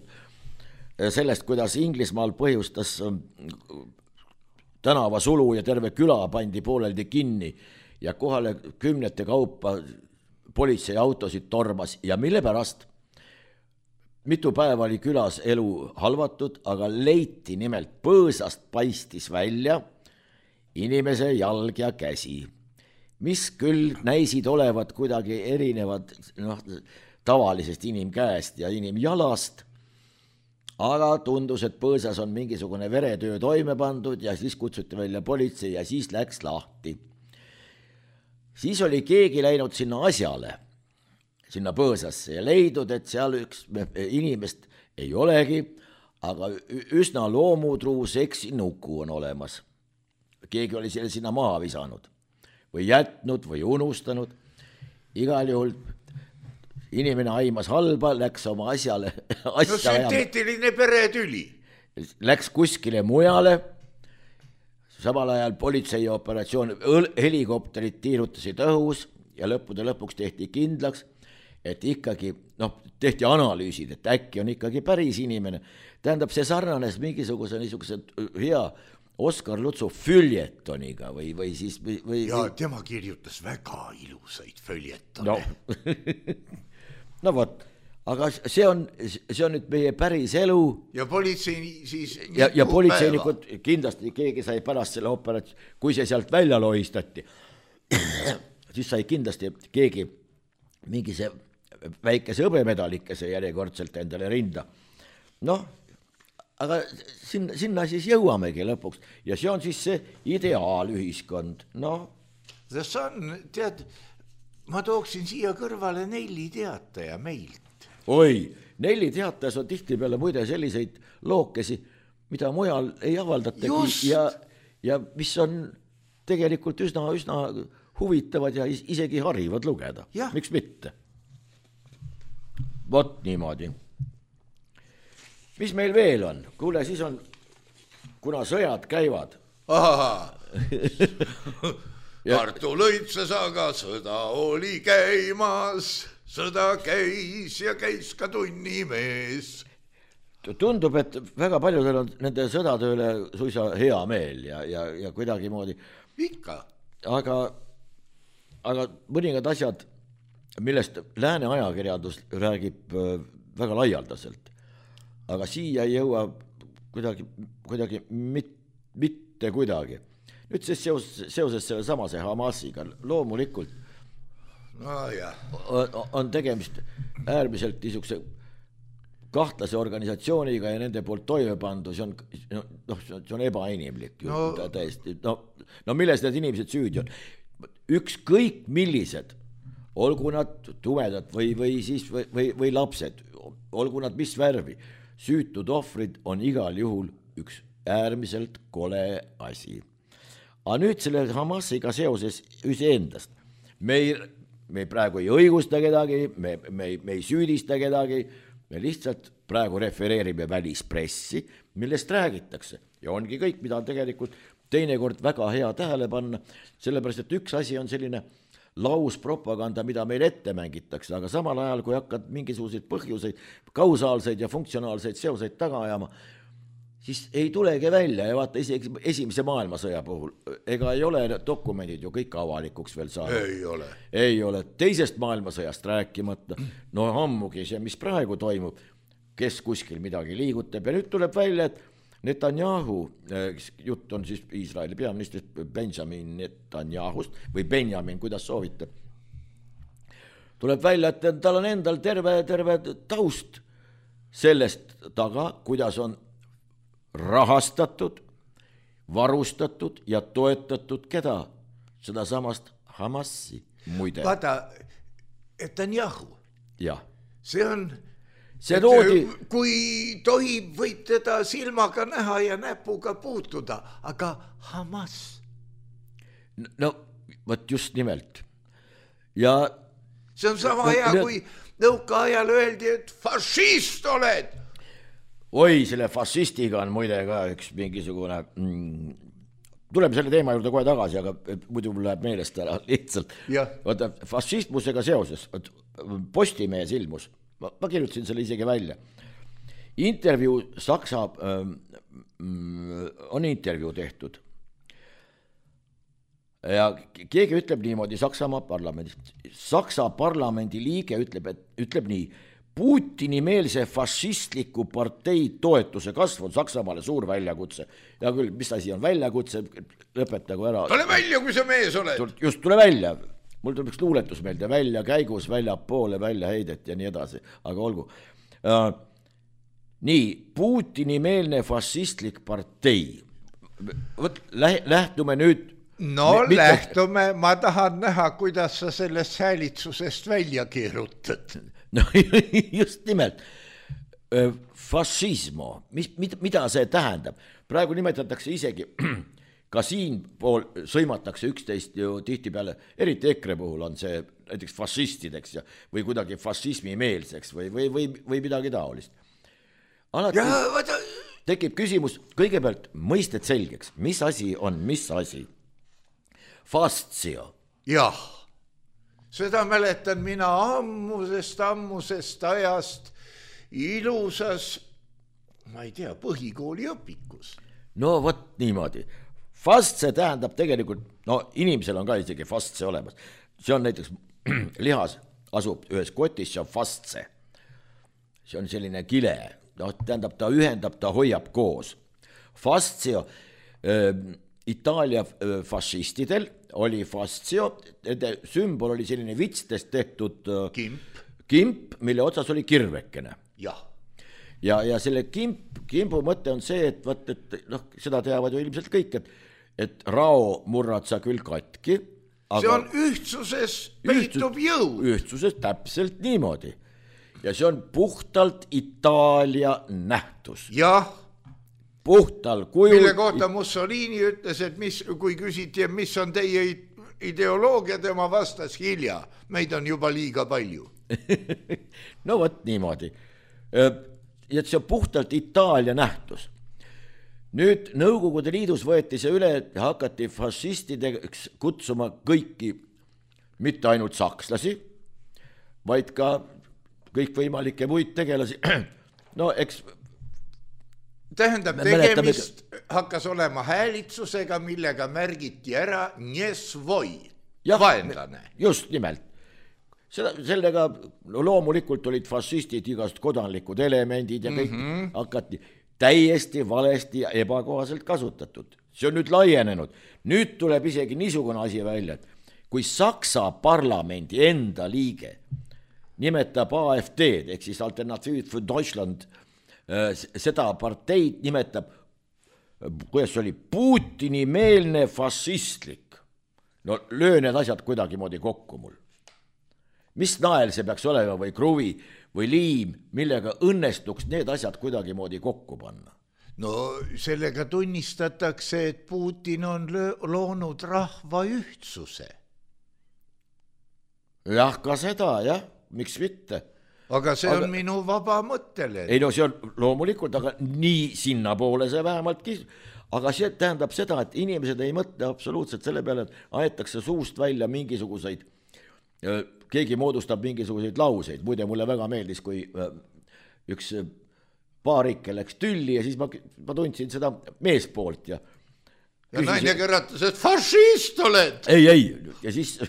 sellest, kuidas Inglismaal põhjustas tänavasulu ja terve küla pandi pooleldi kinni ja kohale 10 kaupa politseiautosid tormas ja mille pärast? mitu päeva oli külas elu halvatud, aga leiti nimelt põõsast paistis välja inimese jalg ja käsi, mis küll näisid olevat kuidagi erinevad tavalisest inimkäest ja inimjalast, aga tundus, et põõsas on mingisugune veretöö toime pandud ja siis kutsuti välja politsei ja siis läks lahti. Siis oli keegi läinud sinna asjale, sinna põõsasse ja leidnud, et seal üks inimest ei olegi, aga üsna loomutruu seksinuku on olemas. Keegi oli selle sinna maha visanud või jätnud või unustanud. Igal juhul inimene aimas halba, läks oma asjale.
No sünteetiline peretüli.
Läks kuskile mujale. Samal ajal politseioperatsioon, helikopterid tiirutasid õhus ja lõppude lõpuks tehti kindlaks, et ikkagi, tehti analüüsid, et äkki on ikkagi päris inimene. Tähendab, see sarnanes mingisuguse niisuguse hea Oskar Lutsu füljetoniga või siis...
Ja tema kirjutas väga ilusaid füljetone.
No vot, aga see on nüüd meie päris elu.
Ja politsei siis...
Ja politseinikud, kindlasti keegi sai pärast selle operatsioon, kui see sealt välja lohistati, siis sai kindlasti keegi mingi see väikese hõbemedalikese järjekordselt endale rinda. Aga sinna siis jõuamegi lõpuks ja see on siis see ideaalühiskond.
See on, tead, ma tooksin siia kõrvale Nelli Teataja meilt.
Oi, Nelli Teatajas on tihtipeale muide selliseid lookesi, mida mujal ei avaldatagi ja mis on tegelikult üsna huvitavad ja isegi harivad lugeda. Miks mitte? Vot niimoodi. Mis meil veel on? Kuule, siis on, kuna sõjad käivad.
Tartu lõitses, aga sõda oli käimas, sõda käis ja käis ka tunnimees.
Tundub, et väga paljudel on nende sõdatööle suisa hea meel ja kuidagi moodi.
Ikka.
Aga mõningad asjad, millest lääne ajakirjandus räägib väga laialdaselt. Aga siia ei jõua kuidagi mitte kuidagi. Nüüd siis seoses selle samase Hamasiga loomulikult on tegemist äärmiselt niisuguse kahtlase organisatsiooniga ja nende poolt toime pandu, see on ebainimlik. Täiesti. Milles need inimesed süüdi on? Ükskõik millised, olgu nad tumedad või lapsed, olgu nad mis värvi, süütud ohvrid on igal juhul üks äärmiselt kole asi. Aga nüüd selle Hamasiga seoses iseendast. Me praegu ei õigusta kedagi, me ei süüdista kedagi, me lihtsalt praegu refereerime välispressi, millest räägitakse. Ja ongi kõik, mida on tegelikult teinekord väga hea tähele panna, sellepärast, et üks asi on selline lauspropaganda, mida meil ette mängitakse, aga samal ajal, kui hakkad mingisuguseid põhjuseid, kausaalseid ja funktsionaalseid seoseid taga ajama, siis ei tulegi välja ja vaata isegi esimese maailmasõja puhul, ega ei ole dokumendid ju kõik avalikuks veel saanud. Ei ole. Teisest maailmasõjast rääkimata, ammugi see, mis praegu toimub, kes kuskil midagi liigutab ja nüüd tuleb välja, et Netanyahu, jutt on siis Iisraeli peaministrist Benjamin Netanyahust või Benjamin, kuidas soovite, tuleb välja, et tal on endal terve taust sellest taga, kuidas on rahastatud, varustatud ja toetatud keda? Seda samast Hamasi muide.
Vaata, Netanyahu.
Jah.
See on... Kui tohib, võid teda silmaga näha ja näpuga puutuda, aga Hamas.
Võt just nimelt. Ja
see on sama hea, kui nõukaajal öeldi, et fašist oled.
Oi, selle fašistiga on muide ka üks mingisugune... Tuleme selle teema juurde kohe tagasi, aga muidu mul läheb meelest ära lihtsalt. Vaata, fašistmusega seoses, Postimehes ilmus, ma kirjutasin selle isegi välja. Intervjuu Saksa, on intervjuu tehtud. Ja keegi ütleb niimoodi Saksamaa parlamendis. Saksa parlamendi liige ütleb nii, Putini-meelse fašistliku partei toetuse kasv on Saksamaale suur väljakutse. Ja küll, mis asi on väljakutse, lõpetagu ära.
Tule välja, kui sa mees oled.
Just tule välja. Mul tuleb üks luuletus meelde, välja käigus, välja poole, välja heidet ja nii edasi. Aga olgu. Nii, Putini-meelne fašistlik partei. Lähtume nüüd.
No lähtume, ma tahan näha, kuidas sa sellest häälitsusest välja keerutad.
No just nimelt, fašismo, mida see tähendab? Praegu nimetatakse isegi, ka siin pool sõimatakse üksteist ju tihti peale, eriti EKRE puhul on see näiteks fašistideks või kuidagi fašismi meelseks või midagi taolist. Alati tekib küsimus, kõigepealt mõisted selgeks, mis asi on, mis asi? Fastsio.
Jah. Seda mäletan mina ammusest ajast ilusas, ma ei tea, põhikooli õpikus.
No vot niimoodi. Fastse tähendab tegelikult, no inimesel on ka isegi fastse olemas. See on näiteks lihas asub ühes kotis, see on fastse. See on selline kile, no tähendab ta ühendab, ta hoiab koos. Fastsio Itaalia fašistidel oli fastsio, nende sümbol oli selline vitstest tehtud kimp, mille otsas oli kirvekene. Ja selle kimpu mõte on see, et seda teavad ju ilmselt kõik, et rao murrad sa küll katki.
See on ühtsuses peitub jõud.
Ühtsuses täpselt niimoodi. Ja see on puhtalt Itaalia nähtus.
Jah.
Puhtal kujul.
Mille kohta Mussolini ütles, et kui küsiti, mis on teie ideoloogia, tema vastas hilja. Meid on juba liiga palju.
No võt niimoodi. Ja see on puhtalt Itaalia nähtus. Nüüd Nõukogude Liidus võeti see üle ja hakati fašistideks kutsuma kõiki, mitte ainult sakslasi, vaid ka kõikvõimalikke muid tegelasi. No eks
tähendab, tegemist hakkas olema häälitsusega, millega märgiti ära Nesvoi, vaenlane.
Just nimelt. Sellega loomulikult olid fašistid igast kodanlikud elemendid ja kõik hakati täiesti valesti ja ebakohaselt kasutatud. See on nüüd laienenud. Nüüd tuleb isegi niisugune asi välja, et kui Saksa parlamendi enda liige nimetab AfD-d, ehk siis Alternatiiv für Deutschland, seda parteid nimetab, kuidas see oli, Putini-meelne fašistlik. No löö need asjad kuidagi moodi kokku mul. Mis nael see peaks olema või kruvi või liim, millega õnnestuks need asjad kuidagi moodi kokku panna?
No sellega tunnistatakse, et Putin on loonud rahva ühtsuse.
Jah, ka seda, jah, miks mitte?
Aga see on minu vaba mõttele.
Ei no see on loomulikult, aga nii sinna poole see vähemaltki. Aga see tähendab seda, et inimesed ei mõtle absoluutselt selle peale, et aetakse suust välja mingisuguseid, keegi moodustab mingisuguseid lauseid. Muide, mulle väga meeldis, kui üks paarike läks tülli ja siis ma tundsin seda meespoolt. Ja
naine kõratas, et fašist oled.
Ei, ja siis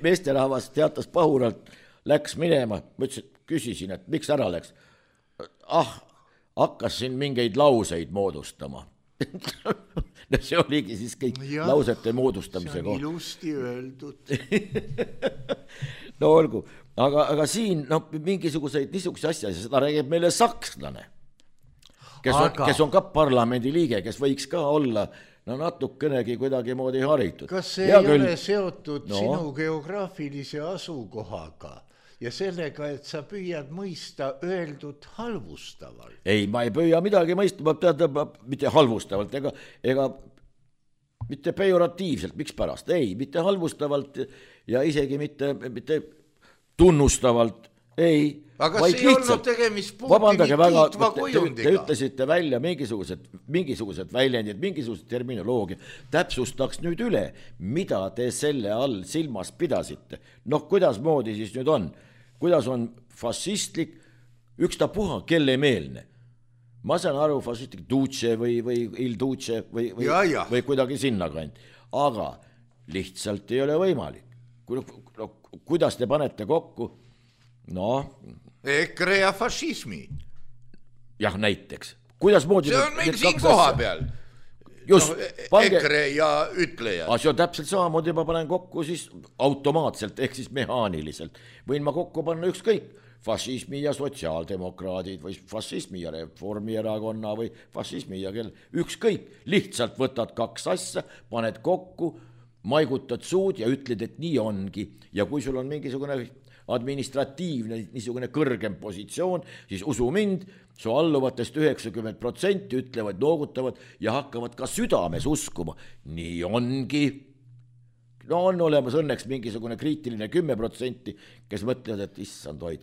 meesterahvas teatas pahuralt, läks minema, ma ütlesin, küsisin, et miks ära läks. Hakkas siin mingeid lauseid moodustama. See oligi siis kõik lausete moodustamise koht.
See on ilusti öeldud.
No olgu, aga siin mingisuguseid niisuguse asja, seda räägib meile sakslane, kes on ka parlamendi liige, kes võiks ka olla natukenegi kuidagi moodi haritud.
Kas see ei ole seotud sinu geograafilise asukohaga? Ja sellega, et sa püüad mõista öeldud halvustavalt.
Ei, ma ei püüa midagi mõista, mitte halvustavalt, ega mitte pejoratiivselt, miks pärast? Ei, mitte halvustavalt ja isegi mitte tunnustavalt, ei.
Aga see ei olnud tegemist Putini kiitva kujundiga.
Te ütlesite välja mingisugused väljendid, mingisugused terminoloogia. Täpsustaks nüüd üle, mida te selle all silmas pidasite. Kuidas moodi siis nüüd on? Kuidas on fašistlik, ükstapuha, kelle meelne? Ma saan aru, fašistlik duce või il duce või kuidagi sinna kand. Aga lihtsalt ei ole võimalik. Kuidas te panete kokku noh.
EKRE ja fašismi.
Jah, näiteks. Kuidasmoodi
see on meil siin koha peal.
Just,
EKRE ja ütlejad.
See on täpselt samamoodi, ma panen kokku siis automaatselt ehk siis mehaaniliselt. Võin ma kokku panna ükskõik fašismi ja sotsiaaldemokraadid või fašismi ja Reformierakonna või fašismi ja ükskõik, lihtsalt võtad kaks asja, paned kokku, maigutad suud ja ütled, et nii ongi. Ja kui sul on mingisugune administratiivne niisugune kõrgem positsioon, siis usu mind, su alluvatest 90% ütlevad, noogutavad ja hakkavad ka südames uskuma. Nii ongi. No on olemas õnneks mingisugune kriitiline 10%, kes mõtlevad, et issand hoid,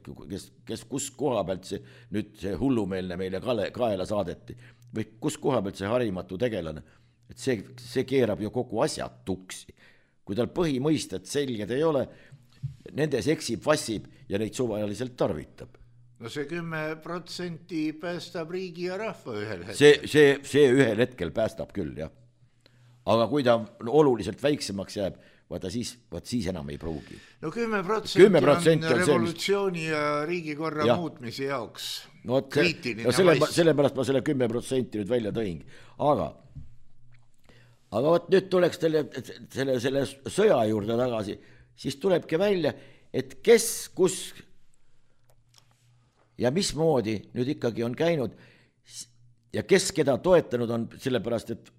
kes kus koha pealt see hullumeelne meile kaela saadeti või kus koha pealt see harimatu tegelane, et see keerab ju kogu asja tuksi. Kui tal põhimõisted selged ei ole, nendes eksib, vassib ja neid suvaliselt tarvitab.
No see 10% päästab riigi ja rahva ühel hetkel.
See ühel hetkel päästab küll, jah. Aga kui ta oluliselt väiksemaks jääb, vaata siis enam ei pruugi.
No 10% on revolutsiooni ja riigikorra muutmise jaoks kriitiline
vass. Sellepärast ma selle 10% nüüd välja tõingi. Aga võt nüüd tuleks selle sõja juurde tagasi, siis tulebki välja, et kes, kus ja mismoodi nüüd ikkagi on käinud ja kes keda toetanud on, sellepärast, et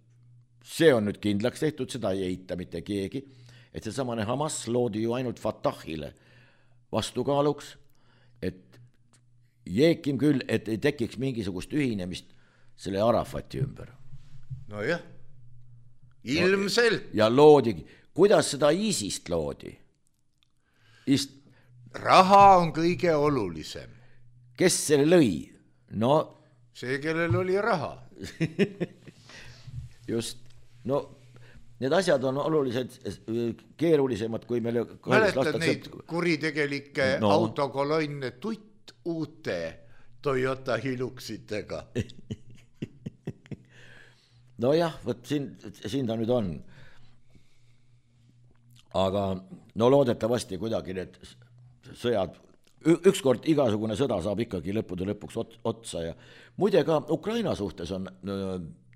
see on nüüd kindlaks tehtud, seda ei eita mitte keegi, et see samane Hamas loodi ju ainult Fatahile vastukaaluks, et jeekim küll, et ei tekiks mingisugust ühinemist selle Arafati ümber.
No jah, ilmselt.
Ja loodigi, kuidas seda ISIS-t loodi?
Raha on kõige olulisem.
Kes selle lõi? No
see, kellel oli raha.
Just, no need asjad on oluliselt keerulisemad, kui meile
mäletad neid kuritegelikke autokolonne tutt uute Toyota Hiluxitega.
No jah, võt siin ta nüüd on. Aga no loodetavasti kuidagi need sõjad, ükskord igasugune sõda saab ikkagi lõppude lõpuks otsa ja muide ka Ukraina suhtes on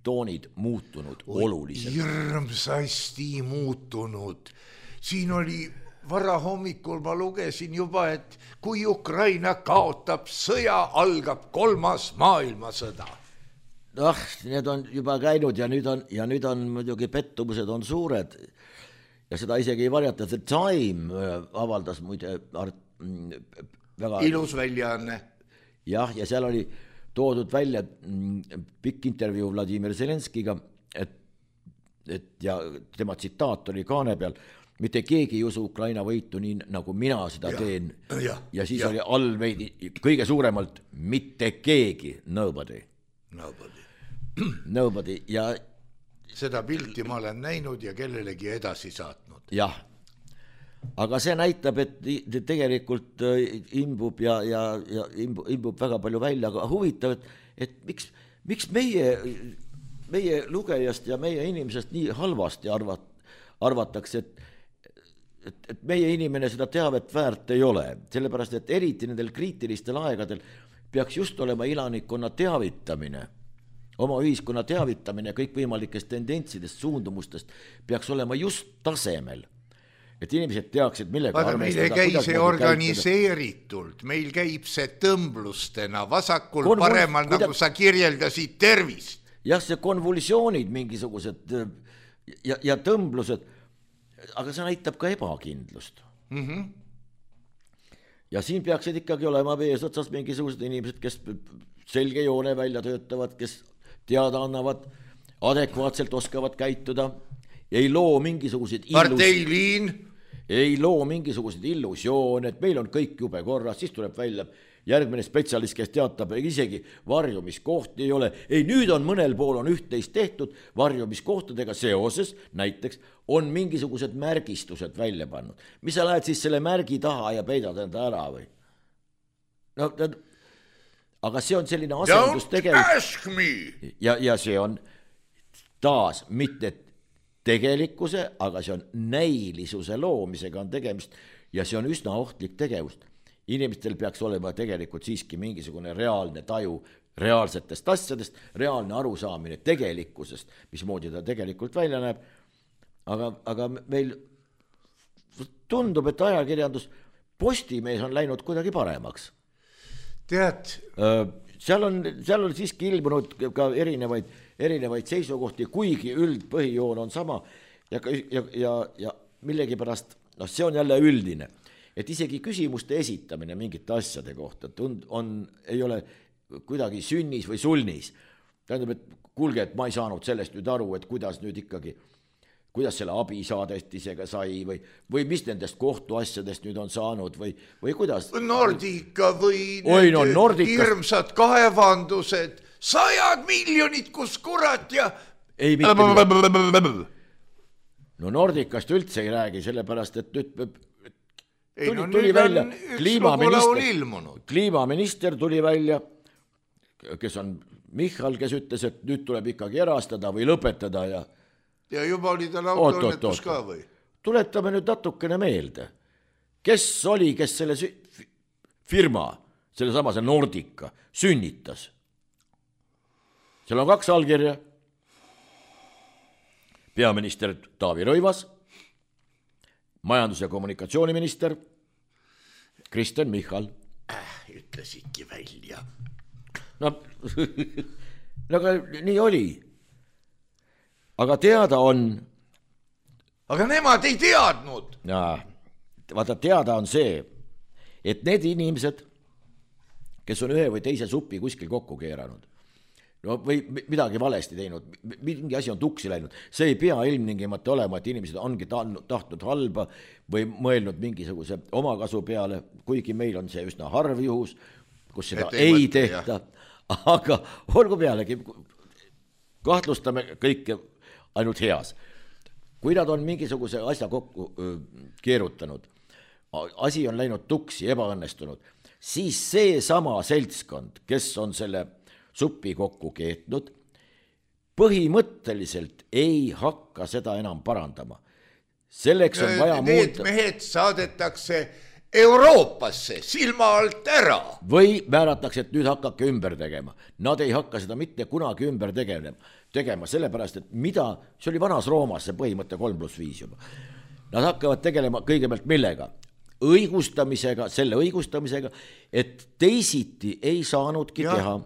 toonid muutunud oluliselt.
Hirmsasti muutunud. Siin oli varahommikul, ma lugesin juba, et kui Ukraina kaotab sõja, algab 3. maailmasõda.
Need on juba käinud ja nüüd on muidugi pettumused on suured ja seda isegi ei varjata. The Time avaldas muide väga
ilus väljaanne.
Jah, ja seal oli toodud välja pikk intervjuu Vladimir Zelenskiga, et ja tema tsitaat oli kaane peal, mitte keegi ei usu Ukraina võitu nii, nagu mina seda teen. Ja siis oli all veidi kõige suuremalt mitte keegi, nobody. Ja
seda pilti ma olen näinud ja kellelegi edasi saatnud.
Jah, aga see näitab, et tegelikult imbub ja imbub väga palju välja, aga huvitav, et miks meie lugejast ja meie inimesest nii halvasti arvatakse, et meie inimene seda teavet väärt ei ole, sellepärast, et eriti nendel kriitilistel aegadel peaks just olema elanikkonna teavitamine, oma ühiskonna teavitamine kõikvõimalikest tendentsidest, suundumustest peaks olema just tasemel. Et inimesed teaksid, millega
arvestada. Meil ei käi see organiseeritult, meil käib see tõmblustena, vasakul paremal, nagu sa kirjeldasid, tervist.
Jah, see konvulsioonid mingisugused ja tõmblused, aga see näitab ka ebakindlust. Ja siin peaksid ikkagi olema vees otsas mingisugused inimesed, kes selge joone välja töötavad, kes teada annavad, adekvaatselt oskavad käituda, ei loo mingisuguseid illusioone, et meil on kõik jube korras, siis tuleb välja järgmine spetsialist, kes teatab, isegi varjumiskohti ei ole. Ei, nüüd on mõnel pool on üht-teist tehtud varjumiskohtadega seoses, näiteks on mingisugused märgistused välja pannud. Mis sa lähed siis selle märgi taha ja peidad enda ära või? No, aga see on selline asendustegevus. Ja see on taas mitte tegelikkuse, aga see on näilisuse loomisega on tegemist ja see on üsna ohtlik tegevust. inimestel peaks olema tegelikult siiski mingisugune reaalne taju reaalsetest asjadest, reaalne arusaamine tegelikkusest, mismoodi ta tegelikult välja näeb. Aga meil tundub, et ajakirjandus, Postimees on läinud kuidagi paremaks.
Tead?
Seal on siiski ilmunud ka erinevaid seisukohti, kuigi üldpõhijoon on sama ja millegipärast, see on jälle üldine, et isegi küsimuste esitamine mingite asjade kohta ei ole kuidagi sünnis või sulnis. Tähendab, et kuulge, et ma ei saanud sellest nüüd aru, et kuidas nüüd ikkagi, kuidas selle abisaadetisega sai või mis nendest kohtuasjadest nüüd on saanud või kuidas?
Nordica või hirmsad kaevandused, 100 miljonit, kus kurat ja...
Ei, mitte no Nordicast üldse ei räägi, sellepärast, et nüüd tuli välja kliimaminister tuli välja, kes on Michal, kes ütles, et nüüd tuleb ikkagi erastada või lõpetada
ja juba oli tal autoõnnetus ka või?
Tuletame nüüd natukene meelde. Kes selle firma, selle samase Nordica sünnitas? Seal on 2 allkirja. Peaminister Taavi Rõivas, majandus- ja kommunikatsiooniminister Kristen Michal.
Ütlesidki välja.
No, aga nii oli. Aga teada on...
Aga nemad ei teadnud.
Vaata, teada on see, et need inimesed, kes on ühe või teise supi kuskil kokku keeranud, või midagi valesti teinud, mingi asi on tuksi läinud, see ei pea ilmtingimata olema, et inimesed ongi tahtnud halba või mõelnud mingisuguse omakasu peale, kuigi meil on see üsna harv juhus, kus seda ei tehta, aga olgu pealegi, kahtlustame kõike ainult heas. Kui nad on mingisuguse asja kokku keerutanud, asi on läinud tuksi, ebaõnnestunud, siis see sama seltskond, kes on selle suppi kokku keetnud, põhimõtteliselt ei hakka seda enam parandama. Selleks on vaja
need mehed saadetakse Euroopasse silma alt ära.
Või määratakse, et nüüd hakkake ümber tegema. Nad ei hakka seda mitte kunagi ümber tegema, sellepärast, et see oli vanas Roomas see põhimõte 3+5 juba. Nad hakkavad tegelema kõigepealt millega? Selle õigustamisega, et teisiti ei saanudki teha.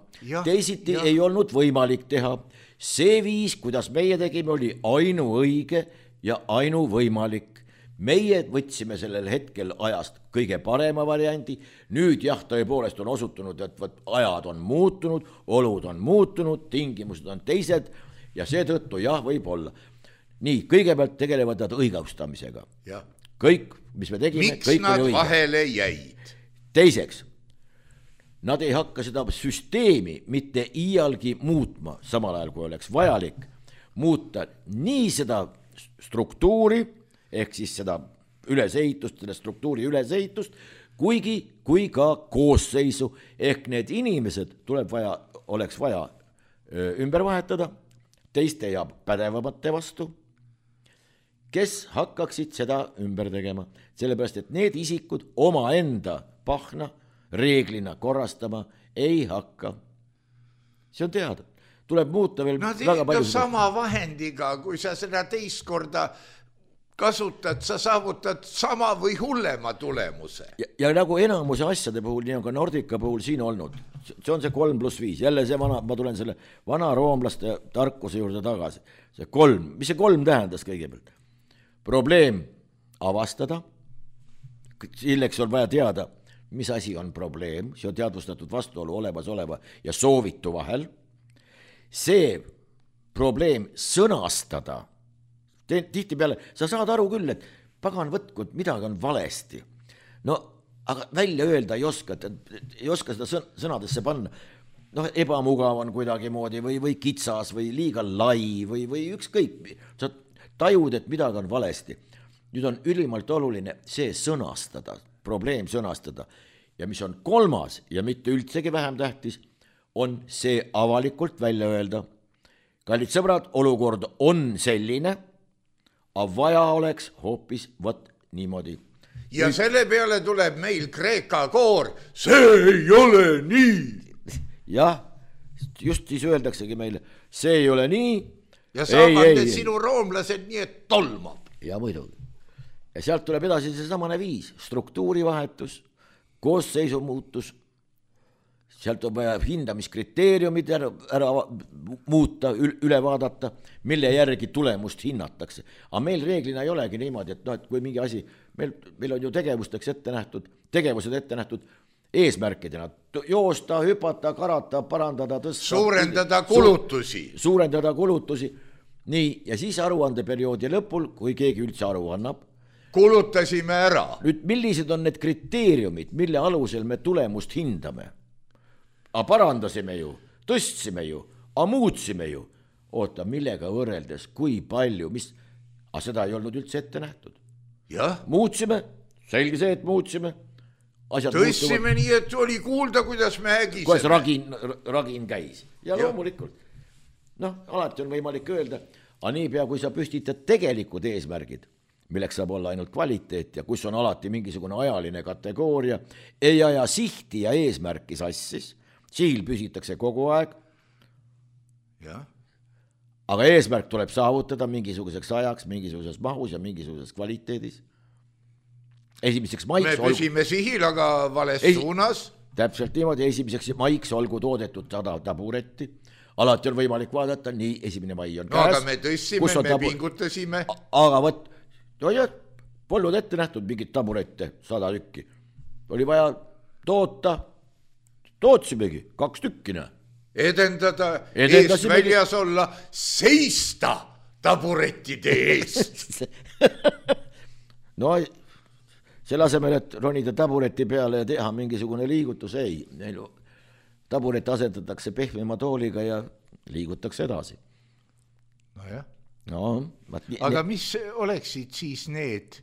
Teisiti ei olnud võimalik teha. See viis, kuidas meie tegime, oli ainuõige ja ainuvõimalik. Meie võtsime sellel hetkel ajast kõige parema variandi. Nüüd tõepoolest on osutunud, et ajad on muutunud, olud on muutunud, tingimused on teised ja seetõttu võib olla. Nii, kõigepealt tegelevad nad õigustamisega. Kõik, mis me tegime,
miks
kõik
nad
oli õige.
Vahele jäid?
Teiseks, nad ei hakka seda süsteemi mitte iialgi muutma, samal ajal kui oleks vajalik muuta nii seda struktuuri, ehk siis seda ülesehitust, selle struktuuri ülesehitust, kui ka koosseisu, ehk need inimesed oleks vaja ümber vahetada, teiste ja pädevamate vastu, kes hakkaksid seda ümber tegema, sellepärast, et need isikud omaenda pahna reeglina korrastama ei hakka. See on teada. Tuleb muuta veel väga palju.
Sama vahendiga, kui sa seda teist korda kasutad, sa saavutad sama või hullema tulemuse.
Ja nagu enamuse asjade puhul, nii on ka Nordica puhul siin olnud. See on see 3+5. Jälle ma tulen selle vana roomlaste tarkuse juurde tagasi. See 3. Mis see 3 tähendas kõigepealt? Probleem avastada. Selleks on vaja teada, mis asi on probleem. See on teadvustatud vastuolu olemasoleva ja soovitu vahel. See probleem sõnastada. Tihti peale, sa saad aru küll, et pagan võtkud, midagi on valesti. No, aga välja öelda ei oska seda sõnadesse panna. Ebamugav on kuidagi moodi või kitsas või liiga lai või ükskõik. Sa tajud, et midagi on valesti. Nüüd on ülimalt oluline see sõnastada, probleem sõnastada. Ja mis on 3. ja mitte üldsegi vähem tähtis, on see avalikult välja öelda. Kallid sõbrad, olukord on selline, aga vaja oleks hoopis niimoodi.
ja selle peale tuleb meil Kreeka koor, see ei ole nii.
Jah, just siis öeldaksegi meile, see ei ole nii.
Ja saavad need sinu roomlased nii, et tolmab.
Ja muidugi. Ja sealt tuleb edasi see samane viis, struktuurivahetus, koosseisu muutus, sealt on vaja hindamiskriteeriumid ära muuta, üle vaadata, mille järgi tulemust hinnatakse. Aga meil reeglina ei olegi niimoodi, et kui mingi asi, meil on ju tegevused ette nähtud eesmärkidena, joosta, hüpata, karata, parandada, tõsta. Suurendada kulutusi. Nii, ja siis aruandeperioodi lõpul, kui keegi üldse aru annab,
kulutasime ära.
Nüüd, millised on need kriteeriumid, mille alusel me tulemust hindame? A parandasime ju, tõstsime ju, a muutsime ju. Oota, millega võrreldes, kui palju, aga seda ei olnud üldse ette nähtud.
Ja?
Muutsime, selge see, et muutsime.
Tõstsime nii, et oli kuulda, kuidas me ägiseme.
Kuidas ragin käis. Ja loomulikult. Alati on võimalik öelda, aga niipea, kui sa püstitad tegelikud eesmärgid, milleks saab olla ainult kvaliteet ja kus on alati mingisugune ajaline kategooria, ei aja sihti ja eesmärki sassis, sihil püsitakse kogu aeg, aga eesmärk tuleb saavutada mingisuguseks ajaks, mingisuguses mahus ja mingisuguses kvaliteedis. Esimeseks maiks...
Me püsime sihil, aga vales suunas.
Täpselt niimoodi, esimeseks maiks olgu toodetud 100 taburetti. Alati on võimalik vaadata, nii 1. mai on käes.
Aga me tõstsime, me pingutasime.
Aga võt, polnud ette nähtud mingit taburette, 100 tükki. Oli vaja tootsimegi 2 tükkina.
Edendada, eest väljas olla, seista taburettide eest.
No, selle asemel, et ronida tabureti peale ja teha mingisugune liigutus, ei. Taburet asendatakse pehmema tooliga ja liigutakse edasi.
Nojah.
Aga
mis oleksid siis need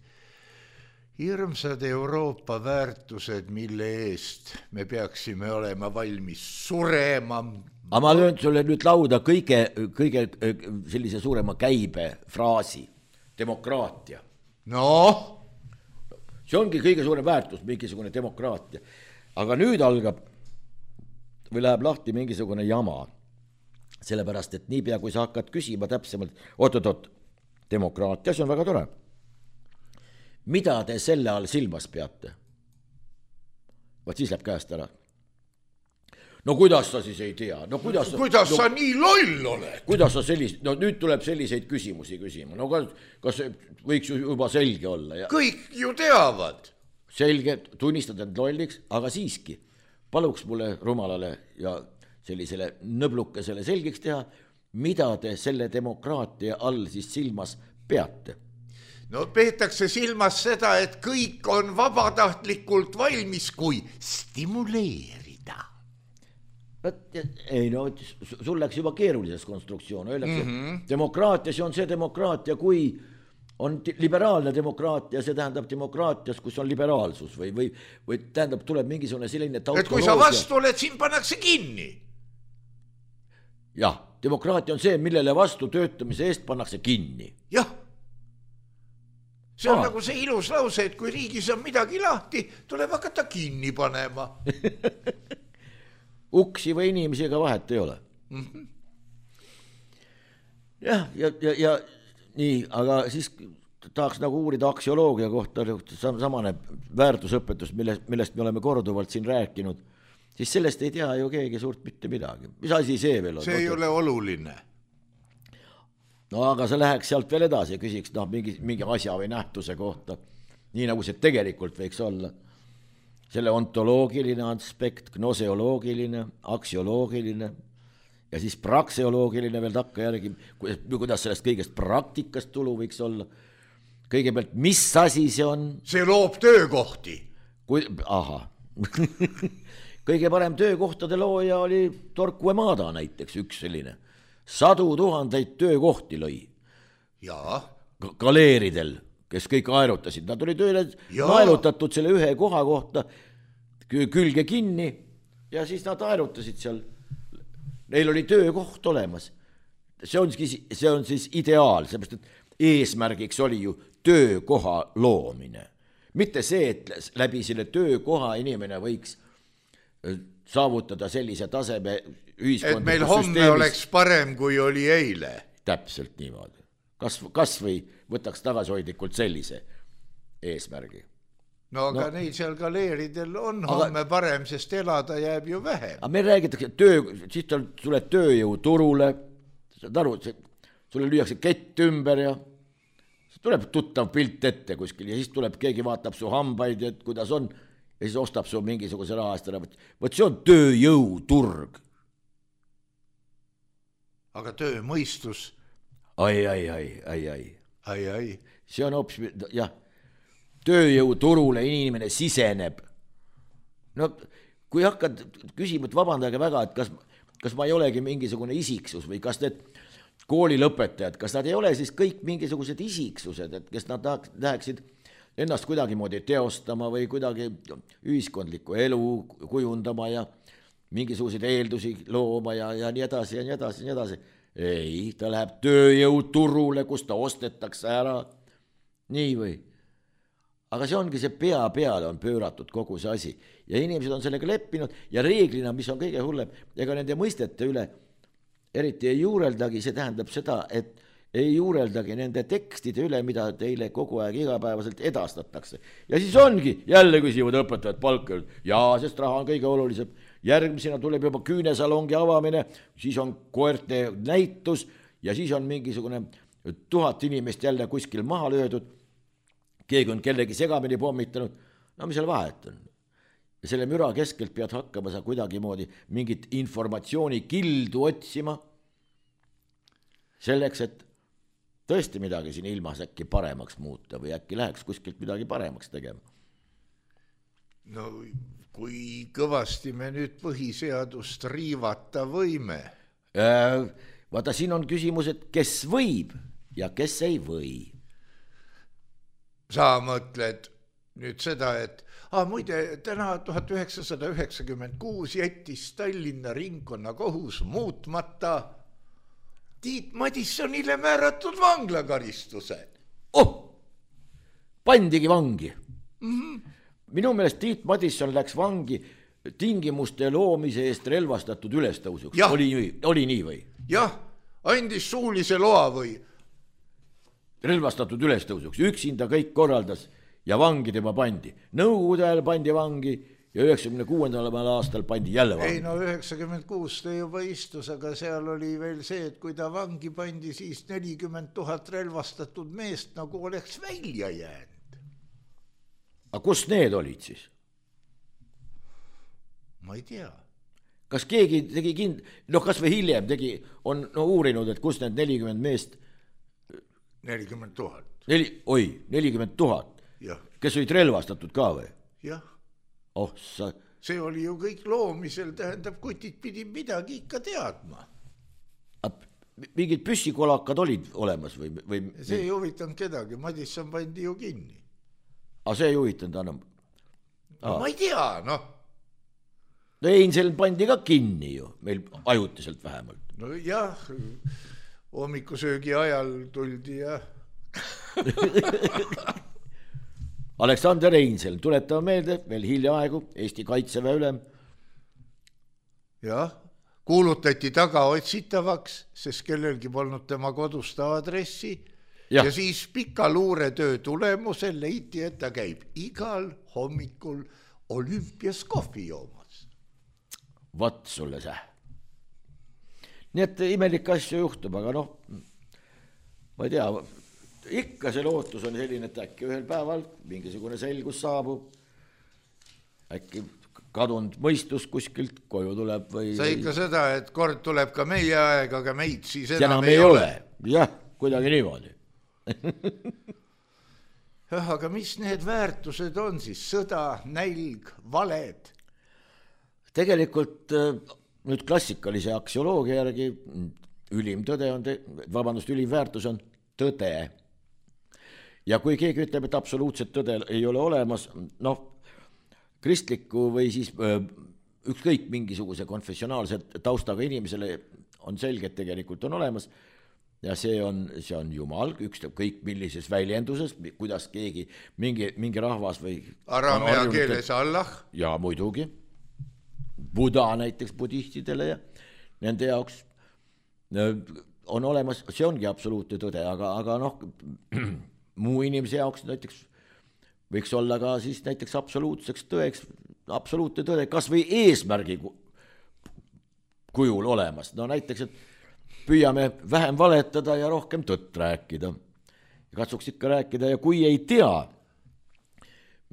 hirmsad Euroopa väärtused, mille eest me peaksime olema valmis surema?
Aga ma löön sulle nüüd lauda kõige sellise suurema käibe fraasi, demokraatia. See ongi kõige suurem väärtus, mingisugune demokraatia. Aga nüüd algab või läheb lahti mingisugune jama. Sellepärast, et niipea, kui sa hakkad küsima täpsemalt, oot, demokraatia, see on väga tore. Mida te selle all silmas peate? Vaat siis läheb käest ära. No kuidas sa siis ei tea?
Kuidas sa nii loll oled?
Kuidas sa nüüd tuleb selliseid küsimusi küsima. No kas võiks juba selge olla?
Kõik ju teavad.
Selge, tunnistad end lolliks, aga siiski. Paluks mulle rumalale ja sellisele nõblukesele selgiks teha, mida te selle demokraatia all siis silmas peate?
No peetakse silmas seda, et kõik on vabatahtlikult valmis, kui stimuleerida.
Ei, sul läks juba keerulises konstruktsioon. Öeldakse, demokraatia, see on see demokraatia, kui on liberaalne demokraatia, see tähendab demokraatias, kus on liberaalsus või tähendab, tuleb mingisugune selline tautoloogia.
Et kui sa vastu oled, siin pannakse kinni.
Jah, demokraatia on see, millele vastu töötamise eest pannakse kinni.
Jah. See on nagu see ilus lause, et kui riigis on midagi lahti, tuleb hakata kinni panema.
Uksi või inimesi ega vahet ei ole. Jah, ja nii, aga siis tahaks nagu uurida aksioloogia kohta, samane väärtusõpetus, millest me oleme korduvalt siin rääkinud, siis sellest ei tea ju keegi suurt mitte midagi. Mis asi see veel on?
See ei ole oluline.
No aga sa läheks sealt veel edasi ja küsiks mingi asja või nähtuse kohta, nii nagu see tegelikult võiks olla. Selle ontoloogiline aspekt, gnoseoloogiline, aksioloogiline ja siis prakseoloogiline veel takka järgi, kuidas sellest kõigest praktikast tulu võiks olla. Kõigepealt, mis asi see on? See
loob töökohti.
Kõige parem töökohtade looja oli Torquemada näiteks, üks selline. 100 000 töökohti lõi.
Jaa.
Galeeridel, kes kõik aerutasid. Nad oli tööle naelutatud selle ühe koha kohta külge kinni ja siis nad aerutasid seal. Neil oli töökoht olemas. See on siis ideaal, seepärast, et eesmärgiks oli ju töökoha loomine. mitte see, et läbi selle töökoha inimene võiks saavutada sellise taseme ühiskondlikus
et meil homme oleks parem, kui oli eile.
Täpselt niimoodi. Kas või võtaks tagasihoidlikult sellise eesmärgi.
No aga neil seal galeeridel on homme parem, sest elada jääb ju vähem.
Aga meil räägitakse siis tuleb tööjõu turule, saad aru, sulle lüüakse kett ümber ja tuleb tuttav pilt ette kuskil ja siis tuleb keegi vaatab su hambaid, et kuidas on ja siis ostab su mingisuguse raha eest ära. Võt see on tööjõuturg.
Aga töömõistus?
Ai. See on hoopis, jah, tööjõuturule inimene siseneb. No kui hakkad küsima, et vabandage väga, et kas ma ei olegi mingisugune isiksus või kas need koolilõpetajad, kas nad ei ole siis kõik mingisugused isiksused, et kes nad läheksid ennast kuidagimoodi teostama või kuidagi ühiskondlikku elu kujundama ja mingisuguseid eeldusi looma ja nii edasi ja nii edasi ja nii edasi. Ei, ta läheb tööjõuturule, kus ta ostetakse ära. Nii või? Aga see ongi see pea peale on pööratud kogu see asi ja inimesed on sellega leppinud ja reeglina, mis on kõige hullem, ega nende mõistete üle eriti ei juureldagi, see tähendab seda, et ei juureldagi nende tekstide üle, mida teile kogu aeg igapäevaselt edastatakse. Ja siis ongi, jälle küsivad õpetajad palka, sest raha on kõige olulisem. Järgmisena tuleb juba küünesalongi avamine, siis on koerte näitus ja siis on mingisugune 1000 inimest jälle kuskil maha löödud, keegi on kellegi segamini pommitanud, no mis seal vahet on? Ja selle müra keskelt pead hakkama sa kuidagimoodi mingit informatsiooni kildu otsima selleks, et tõesti midagi siin ilmas äkki paremaks muuta või äkki läheks kuskilt midagi paremaks tegema.
No kui kõvasti me nüüd põhiseadust riivata võime?
Vaata, siin on küsimus, et kes võib ja kes ei või.
Sa mõtled nüüd seda, et muide, täna 1996 jättis Tallinna ringkonnakohus muutmata Tiit Madissonile määratud vanglakaristuse.
Pandigi vangi. Minu meelest Tiit Madisson läks vangi tingimuste loomise eest relvastatud ülestõusuks. Oli nii või?
Jah, andis suulise loa või?
Relvastatud ülestõusuks, üksinda kõik korraldas ja vangi tema pandi. Nõukogude ajal pandi vangi ja 96. aastal pandi jälle vangi.
Ei no 96 ta juba istus, aga seal oli veel see, et kui ta vangi pandi, siis 40 000 relvastatud meest nagu oleks välja jäänud.
Aga kus need olid siis?
Ma ei tea.
Kas keegi tegi kas või hiljem on uurinud, et kus need 40 meest
40 000.
40 000.
Jah.
Kes olid relvastatud ka või?
Jah.
See
oli ju kõik loomisel, tähendab, kutid pidi midagi ikka teadma.
Mingid püssikolakad olid olemas või?
See ei huvitanud kedagi, Madisson pandi ju kinni.
See ei huvitanud enam?
Ma ei tea,
Einzel pandi ka kinni ju, meil ajutiselt vähemalt.
No jah, hommikusöögi ajal tuldi ja...
Aleksander Einzel, tuletame meelde, veel hiljaaegu Eesti kaitseväe ülem.
Jah, kuulutati tagaotsitavaks, sest kellelgi polnud tema kodust aadressi ja siis pika luuretöö tulemusel leiti, et ta käib igal hommikul Olümpias kohvi joomas.
Vat sulle see. Nii et imelik asju juhtub, aga ma ei tea, ikka see lootus on selline, et äkki ühel päeval mingisugune selgus saabub, äkki kadunud mõistus kuskilt koju tuleb või...
Sa ikka seda, et kord tuleb ka meie aeg, aga meid siis enam ei ole.
Jah, kuidagi niimoodi.
Aga mis need väärtused on siis? Sõda, nälg, valed?
Tegelikult nüüd klassikalise aksioloogia järgi ülim väärtus on tõde. Ja kui keegi ütleb, et absoluutset tõde ei ole olemas, kristliku või siis ükskõik mingisuguse konfessionaalse taustaga inimesele on selge, et tegelikult on olemas. ja see on jumal, ükskõik kõik millises väljenduses, kuidas keegi, mingi rahvas või
araamea keeles Allah.
Ja muidugi, Buda näiteks budistidele ja nende jaoks on olemas, see ongi absoluutne tõde, aga noh, muu inimese jaoks näiteks võiks olla ka siis näiteks absoluutseks tõeks, absoluutne tõde, kas või eesmärgi kujul olemas, no näiteks, et püüame vähem valetada ja rohkem tõtt rääkida. Katsuks ikka rääkida ja kui ei tea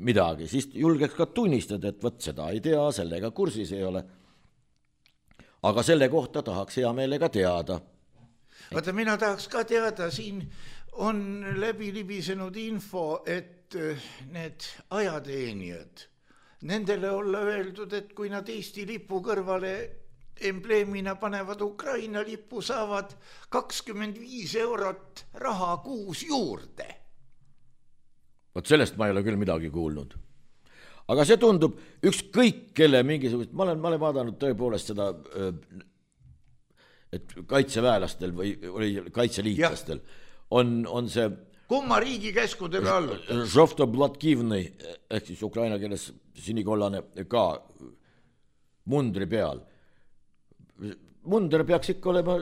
midagi, siis julgeks ka tunnistada, et võt seda ei tea, sellega kursis ei ole. Aga selle kohta tahaks hea meelega teada.
Vaata, mina tahaks ka teada, siin on läbi libisenud info, et need ajateenijad, nendele olla öeldud, et kui nad Eesti lipu kõrvale embleemina panevad Ukraina lipu, saavad 25 eurot raha kuus juurde.
Vot sellest ma ei ole küll midagi kuulnud. Aga see tundub ükskõik kelle mingisugust, ma olen vaadanud tõepoolest seda, et kaitseväelastel või kaitseliitlastel on see
kumma riigi käskudele alluda?
Žovto-Blatkivnõi, ehk siis ukraina keeles sinikollane ka mundri peal. Munder peaks ikka olema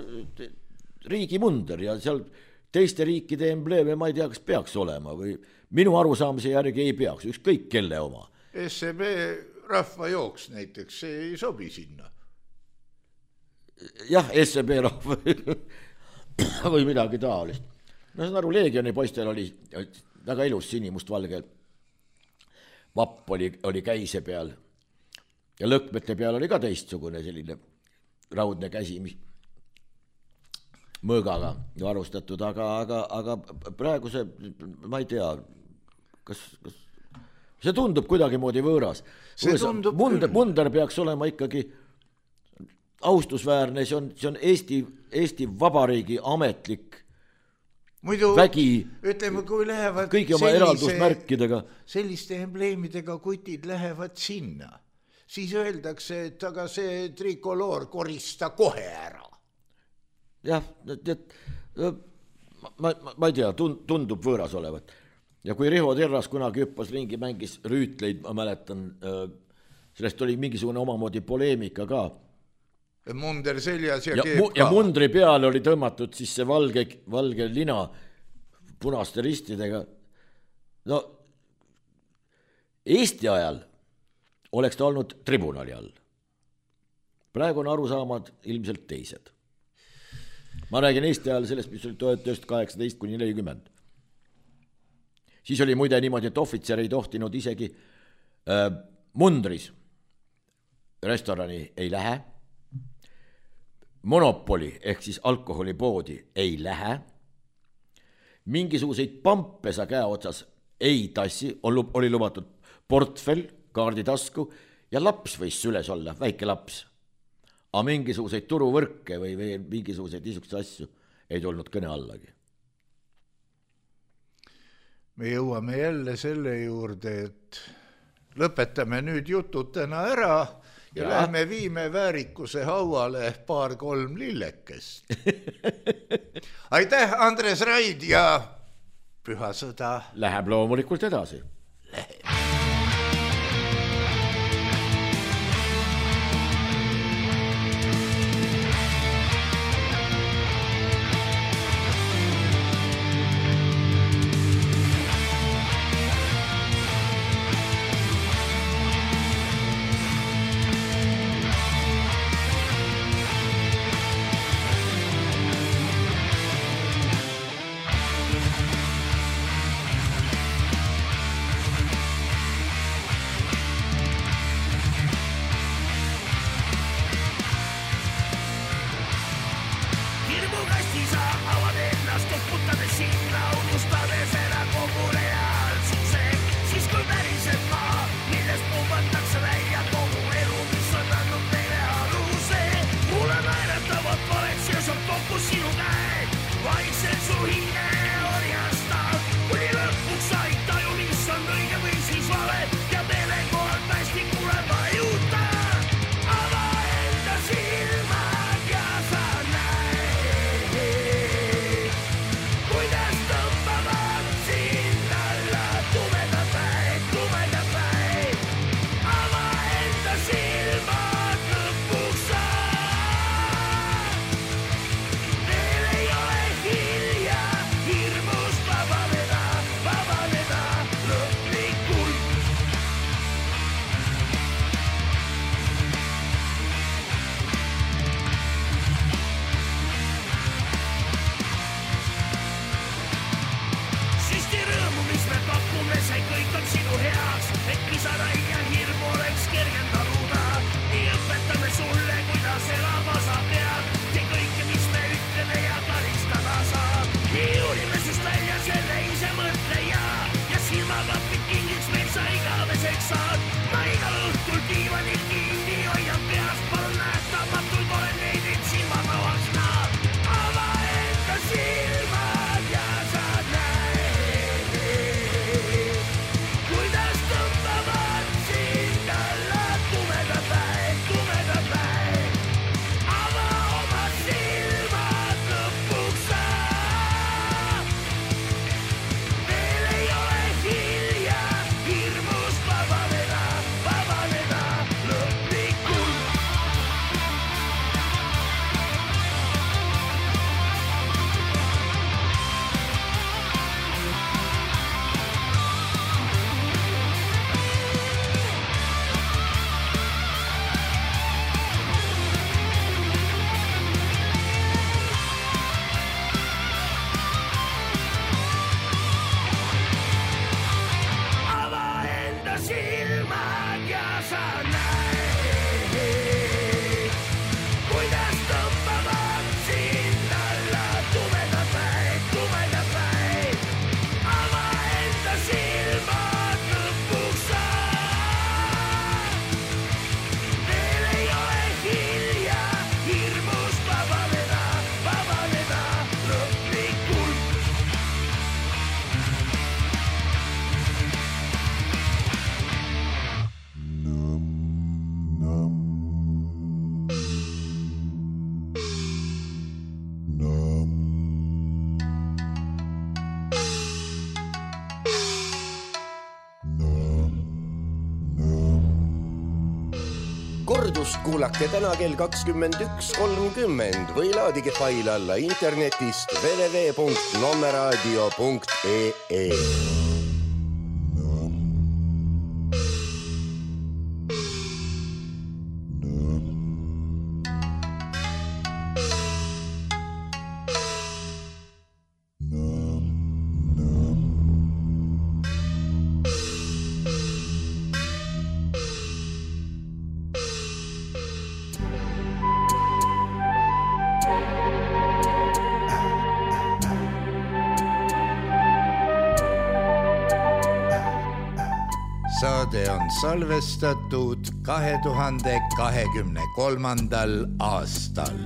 riigi munder ja seal teiste riikide embleeme ma ei tea, kas peaks olema või minu arusaamise järgi ei peaks, ükskõik kelle oma.
SEB rahvajooks näiteks, see ei sobi sinna.
Jah, SEB rahva või midagi taolist. No saan aru, Leegioni poistel oli väga ilus sinimustvalge vapp oli käise peal ja lõkmete peal oli ka teistsugune selline raudne käsi, mis mõõgaga varustatud, aga praegu see, ma ei tea, kas see tundub kuidagi moodi võõras. Munder peaks olema ikkagi austusväärne, see on Eesti Vabariigi ametlik
muidu,
vägi,
ütleme, kui lähevad
kõigi oma eraldusmärkidega.
Selliste embleemidega kutid lähevad sinna, siis öeldakse, et aga see trikoloor korista kohe ära.
Jah, ma ei tea, tundub võõras olevat. Ja kui Riho Terras kunagi hüppas ringi, mängis rüütleid, ma mäletan, sellest oli mingisugune omamoodi poleemika ka.
Munder seljas ja keeb ka.
Ja mundri peale oli tõmmatud siis see valge lina punaste ristidega. No, Eesti ajal oleks ta olnud tribunali all. Praegu on arusaamad ilmselt teised. Ma räägin Eesti ajal sellest, mis oli 1918–40. Siis oli muide niimoodi, et ohvitser ei tohtinud isegi mundris restorani ei lähe, monopoli ehk siis alkoholipoodi ei lähe, mingisuguseid pampe sa käe otsas ei tassi, oli lubatud portfell, kaarditasku ja laps võis süles olla, väike laps. Aga mingisuguseid turuvõrke või mingisuguseid niisuguseid asju ei tulnud kõne allagi.
Me jõuame jälle selle juurde, et lõpetame nüüd jutud täna ära ja lähme viime väärikuse hauale 2-3 lillekest. Aitäh, Andres Raid ja Püha sõda.
Läheb loomulikult edasi.
Läheb.
Kordust kuulake täna kell 21.30 või laadige fail alla internetist www.nommeradio.ee.
Saade on salvestatud 2023. aastal.